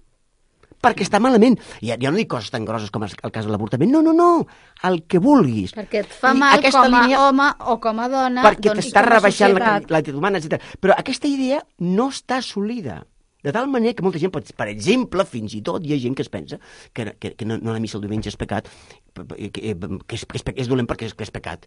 Perquè està malament. I jo no dic coses tan grosses com el cas de l'avortament. No, no, no. El que vulguis. Perquè et fa Vull dir, mal aquesta com a línia- home o com a dona. perquè doncs, t'està com a rebaixant la societat. l'actitud humana, etcètera. Però aquesta idea no està assolida. De tal manera que molta gent, pot, per exemple, fins i tot hi ha gent que es pensa que, que, que no, no anar a missa el diumenge és pecat, que, que, és, que és, és dolent perquè és, que és pecat.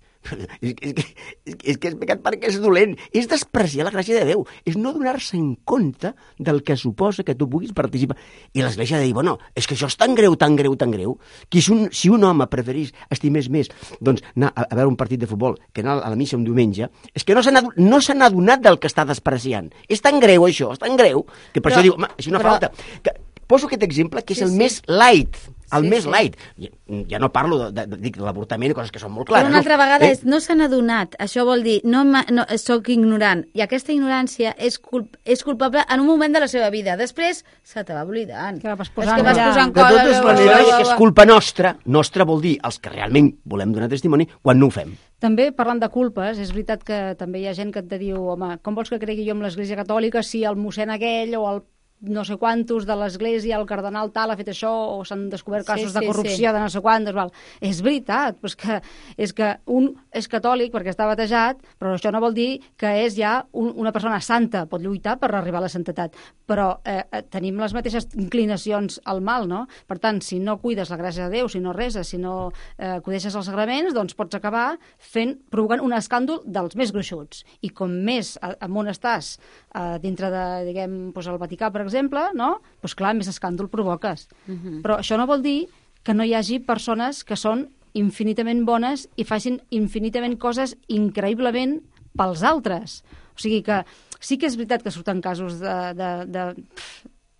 és, és, és, és que és pecat perquè és dolent. És despreciar la gràcia de Déu. És no donar-se en compte del que suposa que tu puguis participar. I l'Església de dir, bueno, és que això és tan greu, tan greu, tan greu, que si un, si un home preferís, estimés més, doncs anar a, a veure un partit de futbol que anar a la missa un diumenge, és que no se n'ha no se n'ha adonat del que està despreciant. És tan greu això, és tan greu, que per però, això diu, home, així no però... falta. Que, poso aquest exemple, que és sí, el sí. més light, el sí, més sí. light. Ja, ja no parlo de, de, de, de l'avortament i coses que són molt clares. Però una altra no? vegada eh? és, no s'han adonat, això vol dir, no, no soc ignorant, i aquesta ignorància és, culp, és culpable en un moment de la seva vida. Després se te va oblidant. Que vas posant, que vas posant de totes coses, maneres, és culpa nostra, nostra vol dir els que realment volem donar testimoni quan no ho fem. També, parlant de culpes, és veritat que també hi ha gent que et diu, home, com vols que cregui jo en l'Església Catòlica si el mossèn aquell o el no sé quantos de l'Església, el cardenal tal ha fet això, o s'han descobert casos sí, sí, de corrupció sí. de no sé quantos, val. És veritat, però és que, és que un és catòlic perquè està batejat, però això no vol dir que és ja un, una persona santa, pot lluitar per arribar a la santetat, però eh, tenim les mateixes inclinacions al mal, no? Per tant, si no cuides la gràcia de Déu, si no reses, si no eh, acudeixes als sagraments, doncs pots acabar fent, provocant un escàndol dels més gruixuts. I com més amunt estàs eh, dintre de, diguem, doncs el Vaticà, per exemple, exemple, no? Doncs clar, més escàndol provoques. Uh-huh. Però això no vol dir que no hi hagi persones que són infinitament bones i facin infinitament coses increïblement pels altres. O sigui que sí que és veritat que surten casos de, de, de,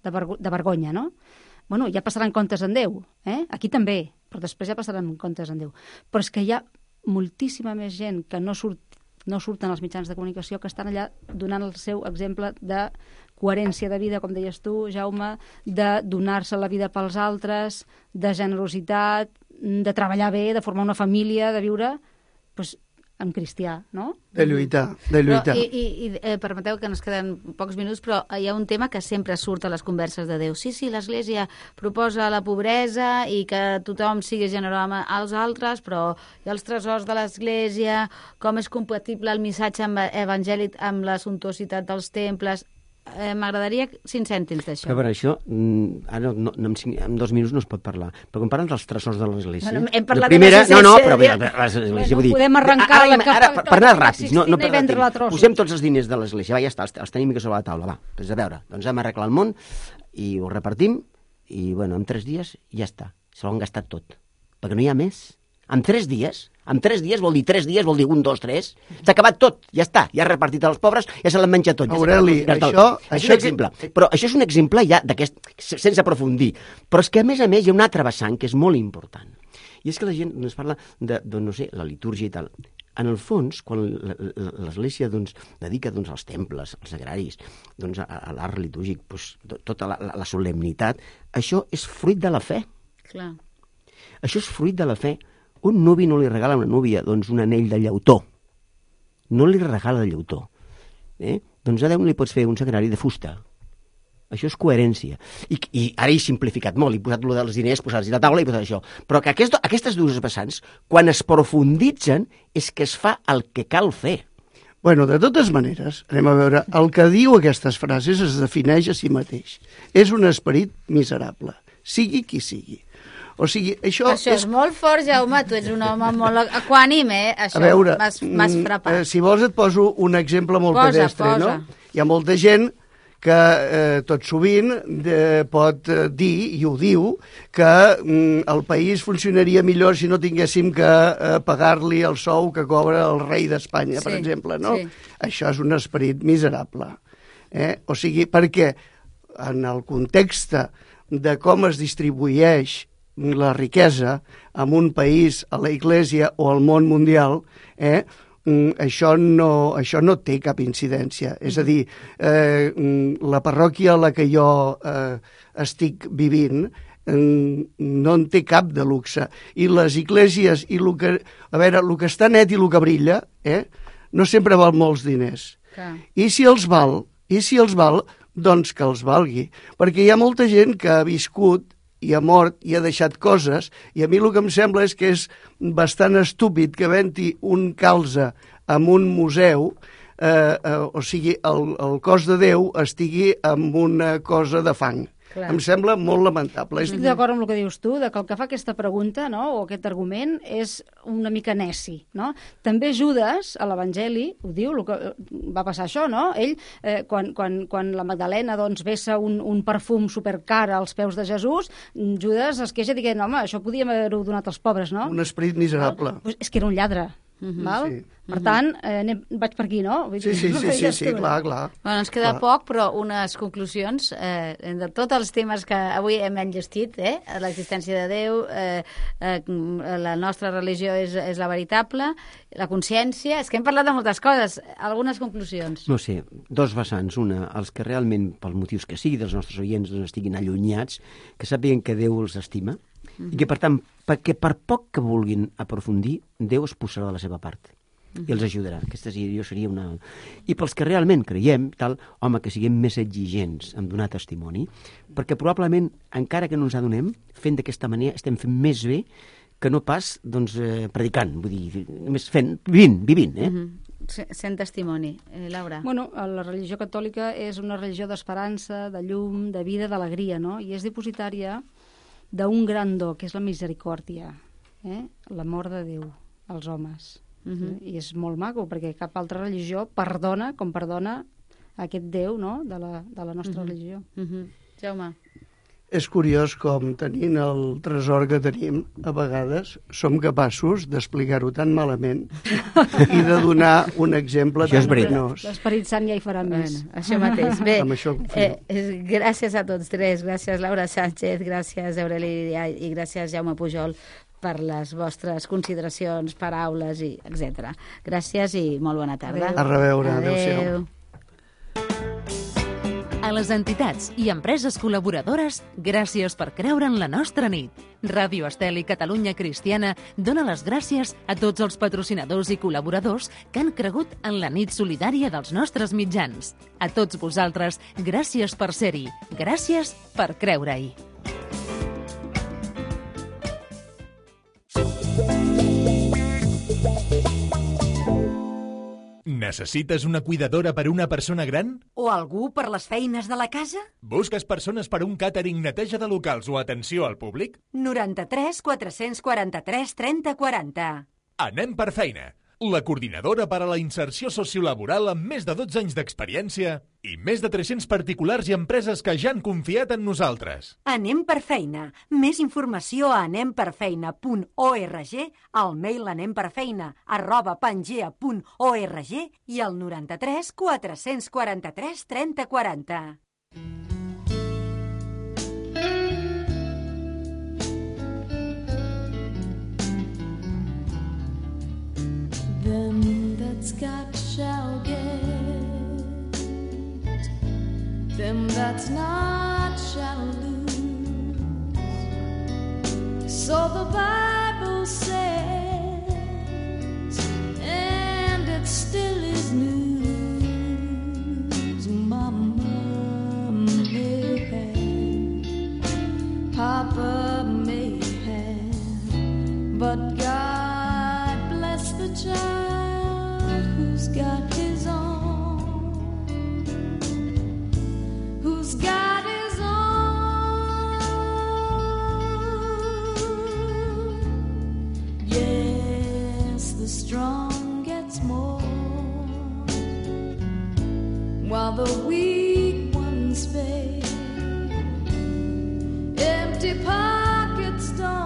de, vergo, de vergonya, no? Bueno, ja passaran comptes en Déu, eh? Aquí també, però després ja passaran comptes en Déu. Però és que hi ha moltíssima més gent que no surt no surten als mitjans de comunicació, que estan allà donant el seu exemple de coherència de vida, com deies tu, Jaume, de donar-se la vida pels altres, de generositat, de treballar bé, de formar una família, de viure doncs, en cristià, no? De lluitar, de lluitar. Però, I i eh, permeteu que ens queden pocs minuts, però hi ha un tema que sempre surt a les converses de Déu. Sí, sí, l'Església proposa la pobresa i que tothom sigui generós amb els altres, però hi ha els tresors de l'Església, com és compatible el missatge evangèlic amb la suntuositat dels temples. Eh, M'agradaria cinc cèntims d'això. Però per això, ara no, no, en, cinc, en dos minuts no es pot parlar. Però quan parlen dels tresors de l'Església... Bueno, hem parlat primera, de no, no, però bé, l'Església, bueno, vull dir... Podem arrencar ara, la ara, ara, per, per anar ràpids, no, no per anar posem tots els diners de l'Església, va, ja està, els, els tenim que sobre la taula, va. Doncs a veure, doncs hem arreglat el món i ho repartim i, bueno, en tres dies ja està. Se l'han gastat tot. Perquè no hi ha més. En tres dies... En tres dies vol dir tres dies, vol dir un, dos, tres. S'ha acabat tot, ja està. Ja ha repartit als pobres, ja se l'han menjat tot. Ja Aureli, ja això... Això és un exemple. Però això és un exemple ja d'aquest, sense aprofundir. Però és que, a més a més, hi ha un altre vessant que és molt important. I és que la gent ens parla de, de no sé, la litúrgia i tal. En el fons, quan l'Església doncs, dedica doncs, als temples, als sagraris, doncs, a, a l'art litúrgic, doncs, tota la, la, la solemnitat, això és fruit de la fe. Clar. Això és fruit de la fe. Un nuvi no li regala a una núvia doncs, un anell de llautó. No li regala de llautó. Eh? Doncs a Déu no li pots fer un sagrari de fusta. Això és coherència. I, i ara he simplificat molt, he posat lo dels diners, posar-los a la taula i posat això. Però que aquest, aquestes dues vessants, quan es profunditzen, és que es fa el que cal fer. Bueno, de totes maneres, anem a veure, el que diu aquestes frases es defineix a si mateix. És un esperit miserable, sigui qui sigui. O sigui, això... Això és, és molt fort, Jaume, tu ets un home molt equànim, eh? Això m'has frapat. Eh, si vols et poso un exemple molt posa, pedestre, posa. no? Hi ha molta gent que eh, tot sovint de, pot eh, dir, i ho diu, que mm, el país funcionaria millor si no tinguéssim que eh, pagar-li el sou que cobra el rei d'Espanya, sí, per exemple, no? Sí. Això és un esperit miserable. Eh? O sigui, perquè en el context de com es distribueix la riquesa en un país, a la Iglésia o al món mundial, eh, això, no, això no té cap incidència. És a dir, eh, la parròquia a la que jo eh, estic vivint no en té cap de luxe. I les esglésies, i lo que, a veure, el que està net i el que brilla, eh, no sempre val molts diners. Clar. I si els val, i si els val, doncs que els valgui. Perquè hi ha molta gent que ha viscut i ha mort i ha deixat coses, i a mi el que em sembla és que és bastant estúpid que venti un calze en un museu eh, eh, o sigui, el, el cos de Déu estigui amb una cosa de fang. Clar. Em sembla molt lamentable. Estic d'acord amb el que dius tu, de que el que fa aquesta pregunta, no?, o aquest argument, és una mica neci, no? També Judes, a l'Evangeli, ho diu, el que va passar això, no? Ell, eh, quan, quan, quan la Magdalena doncs, vessa un, un perfum supercar als peus de Jesús, Judes es queixa dient, home, això podíem haver-ho donat als pobres, no? Un esperit miserable. Pues és que era un lladre. Uh-huh. Val? Sí. Per tant, eh, anem, vaig per aquí, no? Vull sí, dir, sí, sí, sí, sí, clar, clar. Bueno, ens queda clar. poc, però unes conclusions eh, de tots els temes que avui hem enllestit, eh? L'existència de Déu, eh, eh, la nostra religió és, és la veritable, la consciència... És que hem parlat de moltes coses. Algunes conclusions. No sé, dos vessants. Una, els que realment, pels motius que sigui, dels nostres oients doncs, estiguin allunyats, que sàpiguen que Déu els estima, mm-hmm. i que, per tant, perquè per poc que vulguin aprofundir, Déu es posarà de la seva part. I els ajudarà. Aquesta seria, seria una... I pels que realment creiem, tal, home, que siguem més exigents en donar testimoni, perquè probablement, encara que no ens adonem, fent d'aquesta manera estem fent més bé que no pas, doncs, eh, predicant, vull dir, només fent, vivint, vivint, eh? Mm-hmm. Sent testimoni. Eh, Laura? Bueno, la religió catòlica és una religió d'esperança, de llum, de vida, d'alegria, no? I és dipositària d'un gran do, que és la misericòrdia, eh? L'amor de Déu als homes. Uh-huh. I és molt maco, perquè cap altra religió perdona com perdona aquest Déu, no?, de la, de la nostra uh-huh. religió. Uh-huh. Jaume? És curiós com, tenint el tresor que tenim, a vegades som capaços d'explicar-ho tan malament i de donar un exemple tan penós. L'Esperit Sant ja hi farà més. Bueno, això mateix. Bé, això eh, gràcies a tots tres. Gràcies, Laura Sánchez, gràcies, Aurelia, i gràcies, Jaume Pujol, per les vostres consideracions, paraules, i etcètera. Gràcies i molt bona tarda. A reveure. Adéu. A les entitats i empreses col·laboradores, gràcies per creure en la nostra nit. Ràdio Estel i Catalunya Cristiana dona les gràcies a tots els patrocinadors i col·laboradors que han cregut en la nit solidària dels nostres mitjans. A tots vosaltres, gràcies per ser-hi. Gràcies per creure-hi. Necessites una cuidadora per una persona gran? O algú per les feines de la casa? Busques persones per un càtering, neteja de locals o atenció al públic? noranta-tres quatre-cents quaranta-tres trenta quaranta. Anem per feina. La coordinadora per a la inserció sociolaboral amb més de dotze anys d'experiència i més de tres-cents particulars i empreses que ja han confiat en nosaltres. Anem per feina. Més informació a anem per feina punt org, al mail anemperfeina arroba pangea punt org i al noranta-tres quatre-cents quaranta-tres trenta quaranta. Them that's got shall get, them that's not shall lose. So the Bible says, and it still is news. Mama may have, Papa may have, but God bless the child who's got his own, who's got his own. Yes, the strong gets more, while the weak ones fade. Empty pockets don't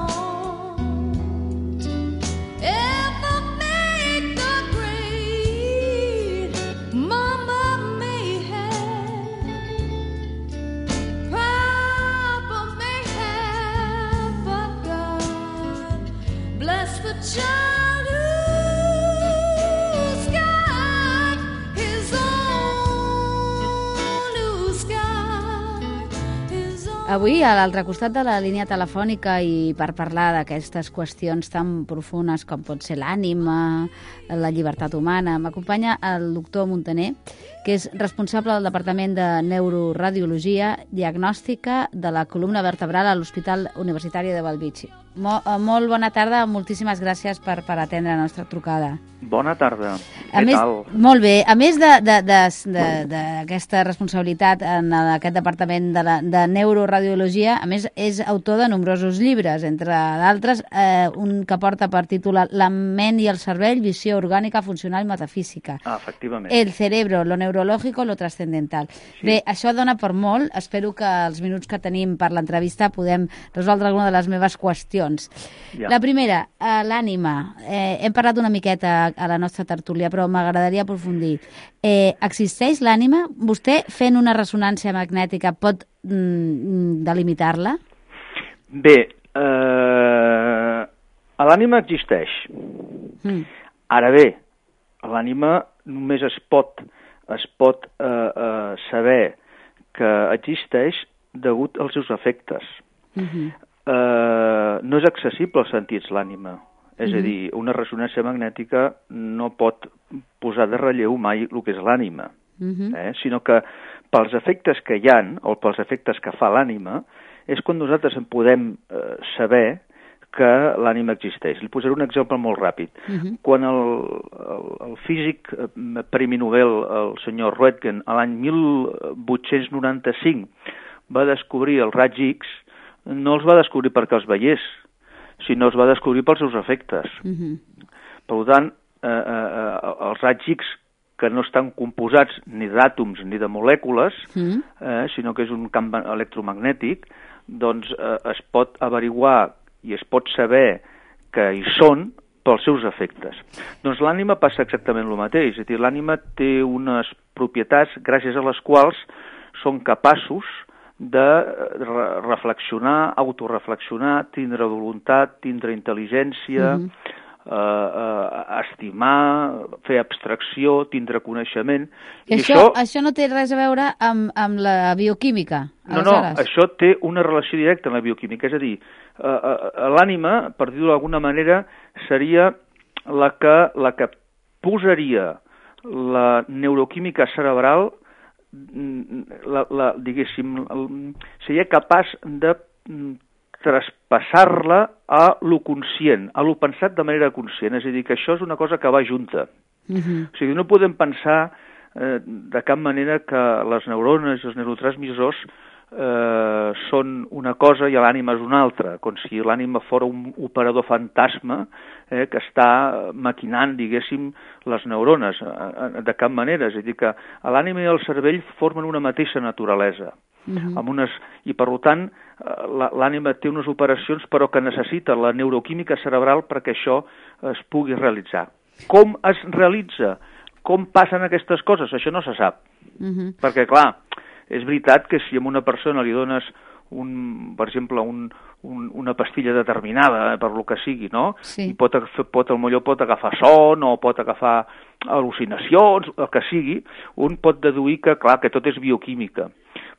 Avui, a l'altre costat de la línia telefònica i per parlar d'aquestes qüestions tan profunes com pot ser l'ànima, la llibertat humana, m'acompanya el doctor Montaner, que és responsable del Departament de Neuroradiologia Diagnòstica de la columna vertebral a l'Hospital Universitari de Bellvitge. Mo, molt bona tarda, moltíssimes gràcies per, per atendre la nostra trucada. Bona tarda. A Què més, tal? molt bé. A més d'aquesta responsabilitat en aquest departament de, la, de neuroradiologia, a més és autor de nombrosos llibres, entre d'altres eh, un que porta per títol La ment i el cervell, visió orgànica, funcional i metafísica. Ah, efectivament. El cerebro, lo neurológico, lo trascendental. Sí. Bé, això dona per molt. Espero que els minuts que tenim per l'entrevista podem resoldre alguna de les meves qüestions. Ja. La primera, eh, l'ànima. Eh, hem parlat una miqueta a la nostra tertúlia, però m'agradaria aprofundir. Eh, existeix l'ànima? Vostè, fent una ressonància magnètica, pot mm, delimitar-la? Bé, eh, l'ànima existeix. Mm. Ara bé, l'ànima només es pot, es pot eh, eh, saber que existeix degut als seus efectes. Mm-hmm. eh, no és accessible als sentits, l'ànima. És a dir, una ressonància magnètica no pot posar de relleu mai el que és l'ànima, uh-huh. eh? sinó que pels efectes que hi ha, o pels efectes que fa l'ànima, és quan nosaltres en podem eh, saber que l'ànima existeix. Li posaré un exemple molt ràpid. Uh-huh. Quan el, el, el físic Premi Nobel, el senyor Röntgen, a l'any mil vuit-cents noranta-cinc, va descobrir els raigs X, no els va descobrir perquè els veiés, sinó es va descobrir pels seus efectes. Uh-huh. Per tant, eh, eh, els raigs X, que no estan composats ni d'àtoms ni de molècules, uh-huh. eh, sinó que és un camp electromagnètic, doncs eh, es pot averiguar i es pot saber que hi són pels seus efectes. Doncs l'ànima passa exactament el mateix, és a dir, l'ànima té unes propietats gràcies a les quals són capaços de re reflexionar, autoreflexionar, tindre voluntat, tindre intel·ligència, mm-hmm. eh, eh, estimar, fer abstracció, tindre coneixement. I, I això, això... això no té res a veure amb, amb la bioquímica? No, no, això té una relació directa amb la bioquímica. És a dir, eh, eh, l'ànima, per dir-ho d'alguna manera, seria la que, la que posaria la neuroquímica cerebral La, la, diguéssim, seria capaç de traspassar-la a lo conscient, a lo pensat de manera conscient, és a dir, que això és una cosa que va junta. Uh-huh. O sigui, no podem pensar eh, de cap manera que les neurones i els neurotransmissors eh, són una cosa i l'ànima és una altra, com si l'ànima fos un operador fantasma eh, que està maquinant, diguéssim, les neurones, eh, de cap manera. És a dir, que l'ànima i el cervell formen una mateixa naturalesa. Uh-huh. amb unes, i per tant l'ànima té unes operacions però que necessita la neuroquímica cerebral perquè això es pugui realitzar. Com es realitza? Com passen aquestes coses? Això no se sap. Uh-huh. Perquè, clar, és veritat que si a una persona li dones, un, per exemple, un, un, una pastilla determinada, eh, per lo que sigui, no? Sí. I pot, pot, potser pot agafar son o pot agafar al·lucinacions, el que sigui, un pot deduir que, clar, que tot és bioquímica.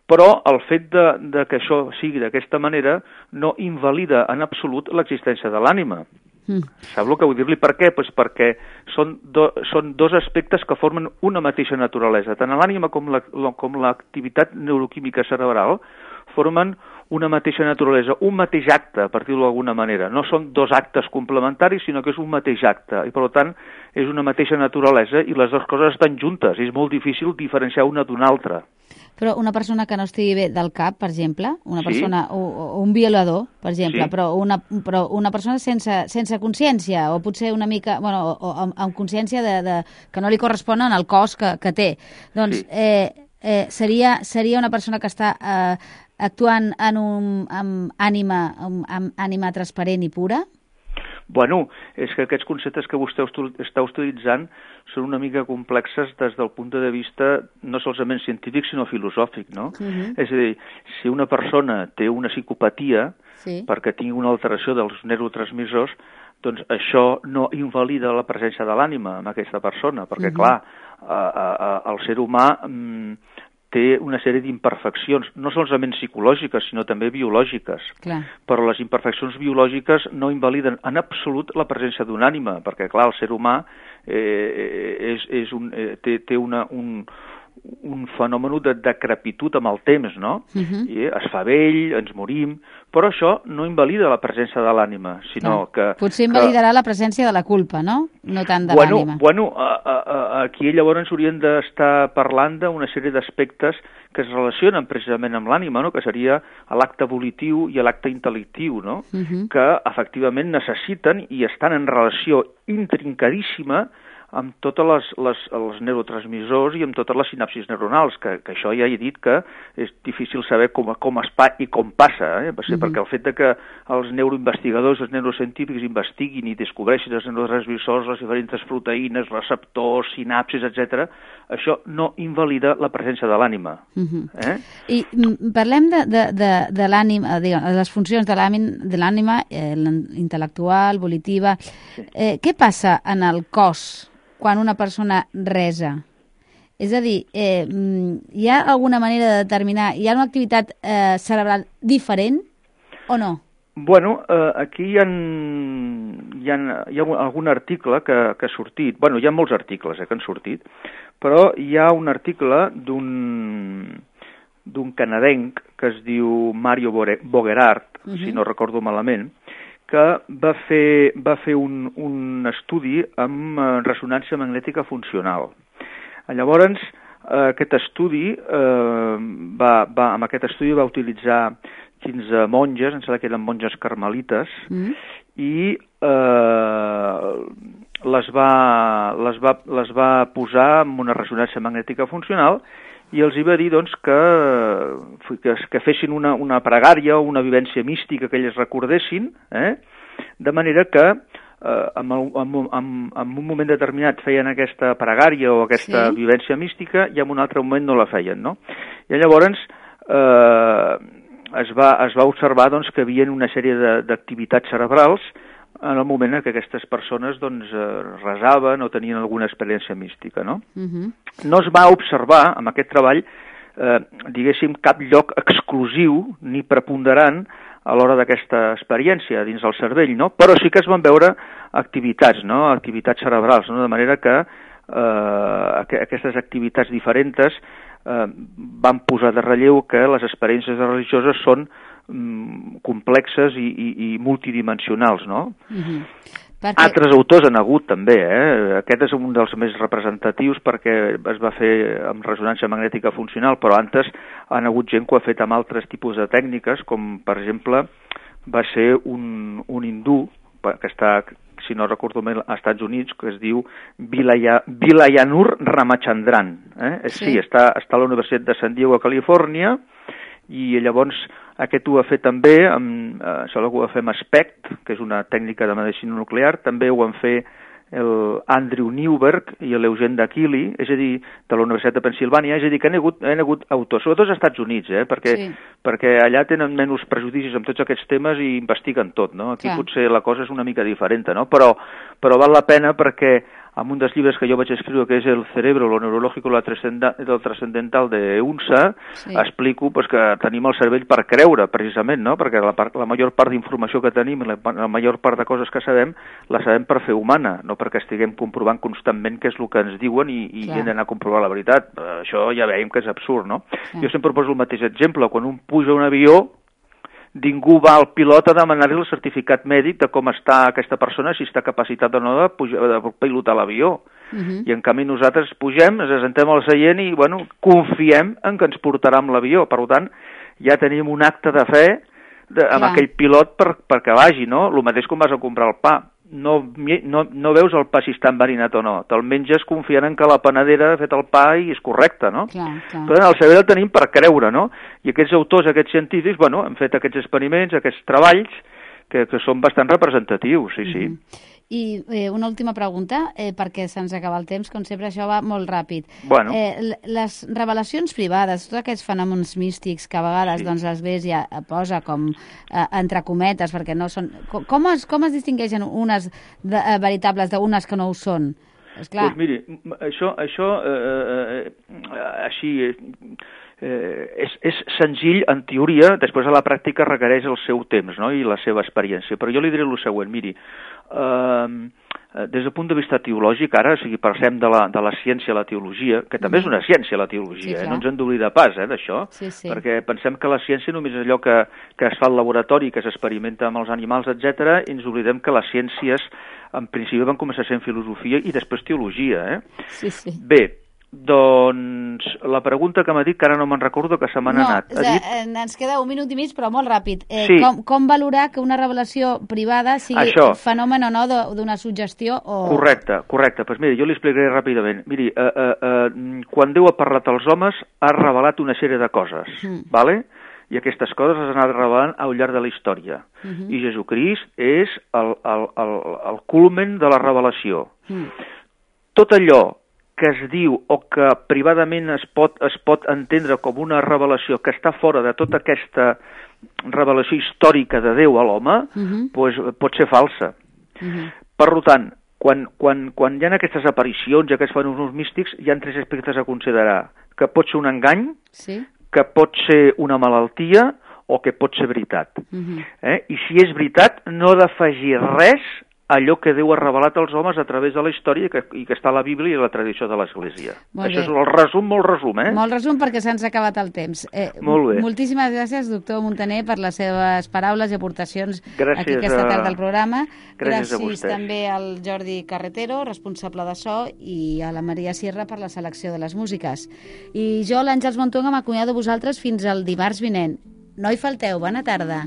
Però el fet de, de que això sigui d'aquesta manera no invalida en absolut l'existència de l'ànima. Mm. Sap el que vull dir-li? Per què? Pues perquè són, do, són dos aspectes que formen una mateixa naturalesa. Tant l'ànima com l'activitat la, neuroquímica cerebral formen una mateixa naturalesa, un mateix acte, per dir-ho d'alguna manera. No són dos actes complementaris, sinó que és un mateix acte. I, per tant, és una mateixa naturalesa i les dues coses estan juntes. És molt difícil diferenciar una d'una altra. Però una persona que no estigui bé del cap, per exemple, una persona, sí. o, o un violador, per exemple, sí. però, una, però una persona sense, sense consciència, o potser una mica, bueno, o, o amb, amb consciència de, de, que no li correspon en el cos que, que té, doncs sí. eh, eh, seria, seria una persona que està eh, actuant en un, amb, ànima, amb, amb ànima transparent i pura? Bueno, és que aquests conceptes que vostè està utilitzant són una mica complexes des del punt de vista no solament científic, sinó filosòfic, no? Uh-huh. És a dir, si una persona té una psicopatia sí. perquè tingui una alteració dels neurotransmissors, doncs això no invalida la presència de l'ànima en aquesta persona, perquè, uh-huh. clar, a, a, a, el ser humà mm, té una sèrie d'imperfeccions, no solament psicològiques, sinó també biològiques. Clar. Però les imperfeccions biològiques no invaliden en absolut la presència d'una ànima, perquè, clar, el ser humà eh, és, és un, eh, té, té una, un, un fenomen de decrepitud amb el temps, no? Uh-huh. I es fa vell, ens morim, però això no invalida la presència de l'ànima, sinó Clar. que... Potser invalidarà que... la presència de la culpa, no? No tant de bueno, l'ànima. Bueno, a, a, a, aquí llavors hauríem d'estar parlant d'una sèrie d'aspectes que es relacionen precisament amb l'ànima, no? Que seria l'acte volitiu i l'acte intel·lectiu, no? Uh-huh. Que efectivament necessiten i estan en relació intrincadíssima amb tots les, les, els neurotransmissors i amb totes les sinapsis neuronals, que, que això ja he dit que és difícil saber com, com es pa i com passa, eh? Mm-hmm. Perquè el fet de que els neuroinvestigadors, els neurocientífics investiguin i descobreixin els neurotransmissors, les diferents proteïnes, receptors, sinapsis, etcètera, això no invalida la presència de l'ànima. Mm-hmm. Eh? I parlem de, de, de, de l'ànima, de les funcions de l'ànima, eh, intel·lectual, volitiva. Sí. Eh, què passa en el cos quan una persona resa? És a dir, eh, hi ha alguna manera de determinar, hi ha una activitat eh, cerebral diferent o no? Bueno, eh, aquí hi ha, hi, ha, hi ha algun article que, que ha sortit, bueno, hi ha molts articles eh, que han sortit, però hi ha un article d'un d'un canadenc que es diu Mario Bogerard, uh-huh. si no recordo malament, que va fer, va fer un, un estudi amb ressonància magnètica funcional. Llavors, aquest estudi, eh, va, va, amb aquest estudi va utilitzar quinze monges, em sembla que eren monges carmelites, mm. i eh, les, va, les, va, les va posar amb una ressonància magnètica funcional i els hi va dir doncs, que, que, que fessin una, una pregària o una vivència mística que elles recordessin, eh? De manera que eh, en, en, en, en un moment determinat feien aquesta pregària o aquesta sí. vivència mística i en un altre moment no la feien, no? I llavors eh, es, va, es va observar doncs, que hi havia una sèrie d'activitats cerebrals en el moment en què aquestes persones doncs, resaven o tenien alguna experiència mística, no? Uh-huh. No es va observar, amb aquest treball, eh, diguéssim, cap lloc exclusiu ni preponderant a l'hora d'aquesta experiència dins del cervell, no? Però sí que es van veure activitats, no? Activitats cerebrals, no? De manera que eh, aquestes activitats diferents eh, van posar de relleu que les experiències religioses són complexes i, i, i multidimensionals, no? Uh-huh. Perquè... Altres autors han hagut també, eh? Aquest és un dels més representatius perquè es va fer amb ressonància magnètica funcional, però antes han hagut gent que ho ha fet amb altres tipus de tècniques, com per exemple va ser un, un hindú que està, si no recordo bé, als Estats Units, que es diu Vilaya, Vilayanur Ramachandran. Eh? Sí, sí està, està a la Universitat de San Diego, a Califòrnia, i llavors aquest ho ha fet també, amb, eh, això ho va fer amb SPECT, que és una tècnica de medicina nuclear, també ho han fet el Andrew Newberg i l'Eugene D'Achille, és a dir, de la Universitat de Pensilvània, és a dir, que han hagut, han hagut autors, sobretot als Estats Units, eh, perquè, sí. perquè allà tenen menys prejudicis amb tots aquests temes i investiguen tot, no? Aquí Clar. Potser la cosa és una mica diferent, no? Però, però val la pena perquè amb un dels llibres que jo vaig escriure, que és El cerebro, lo neurológico, lo trascendental de U N S A, sí. explico pues, que tenim el cervell per creure, precisament, no? Perquè la, part, la major part d'informació que tenim, la, la major part de coses que sabem, la sabem per fer humana, no perquè estiguem comprovant constantment què és el que ens diuen i, i hem d'anar a comprovar la veritat. Això ja veiem que és absurd, no? Clar. Jo sempre poso el mateix exemple. Quan un puja a un avió, ningú va al pilot a demanar-li el certificat mèdic de com està aquesta persona, si està capacitat o no de, pujar, de pilotar l'avió. Uh-huh. I en canvi nosaltres pugem, ens assentem al seient i bueno, confiem en que ens portarà amb l'avió. Per tant, ja tenim un acte de fe de, amb Clar. Aquell pilot per, perquè vagi, no? El mateix com vas a comprar el pa. No, no, no veus el pa si està enverinat o no. Te'l menges confiant en que la panadera ha fet el pa i és correcte, no? Clar, clar. Però el cervell el tenim per creure, no? I aquests autors, aquests científics, bueno, han fet aquests experiments, aquests treballs, que, que són bastant representatius, sí, sí. Mm-hmm. I eh, una última pregunta, eh, perquè se'ns acaba el temps, com sempre això va molt ràpid. Bueno. Eh, les revelacions privades, tots aquests fenòmens místics que a vegades sí. doncs, l'Església posa com eh, entre cometes, perquè no són... Com es, com es distingeixen unes de, eh, veritables d'unes que no ho són? Esclar. Pues miri, això, això eh, eh, així... Eh, és, és senzill en teoria, després a la pràctica requereix el seu temps, no? I la seva experiència, però jo li diré el següent, miri, eh, des del punt de vista teològic, ara, o sigui, passem de la, de la ciència a la teologia, que també és una ciència, la teologia, sí, eh? No ens hem d'oblidar pas, eh, d'això, sí, sí. Perquè pensem que la ciència només és allò que, que es fa al laboratori, que s'experimenta amb els animals, etcètera, i ens oblidem que les ciències, en principi, van començar sent filosofia i després teologia, eh? Sí, sí. Bé, doncs, la pregunta que m'ha dit, que ara no me'n recordo, que se m'ha no, anat. Ha dit... Ens queda un minut i mig, però molt ràpid. Eh, sí. com, com valorar que una revelació privada sigui Això. fenomen o no d'una suggestió? O... Correcte, correcte. Pues mira, jo li explicaré ràpidament. Miri, eh, eh, eh, quan Déu ha parlat als homes, ha revelat una sèrie de coses, mm. ¿vale? I aquestes coses les ha anat revelant al llarg de la història. Mm-hmm. I Jesucrist és el, el, el, el culmen de la revelació. Mm. Tot allò que es diu o que privadament es pot, es pot entendre com una revelació que està fora de tota aquesta revelació històrica de Déu a l'home, uh-huh. pues, pot ser falsa. Uh-huh. Per tant, quan, quan, quan hi ha aquestes aparicions i aquests fenòmens místics, hi ha tres aspectes a considerar. Que pot ser un engany, sí. Que pot ser una malaltia o que pot ser veritat. Uh-huh. Eh? I si és veritat, no ha d'afegir res allò que Déu ha revelat als homes a través de la història i que, i que està a la Bíblia i a la tradició de l'Església. Molt Això bé. és el resum, molt resum, eh? Molt resum perquè se'ns ha acabat el temps. Eh, molt bé. Moltíssimes gràcies, doctor Muntaner, per les seves paraules i aportacions gràcies aquí aquesta a... tarda al programa. Gràcies, gràcies també al Jordi Carretero, responsable de so, i a la Maria Sierra per la selecció de les músiques. I jo, l'Àngels Montonga, m'acomiado de vosaltres fins al dimarts vinent. No hi falteu, bona tarda.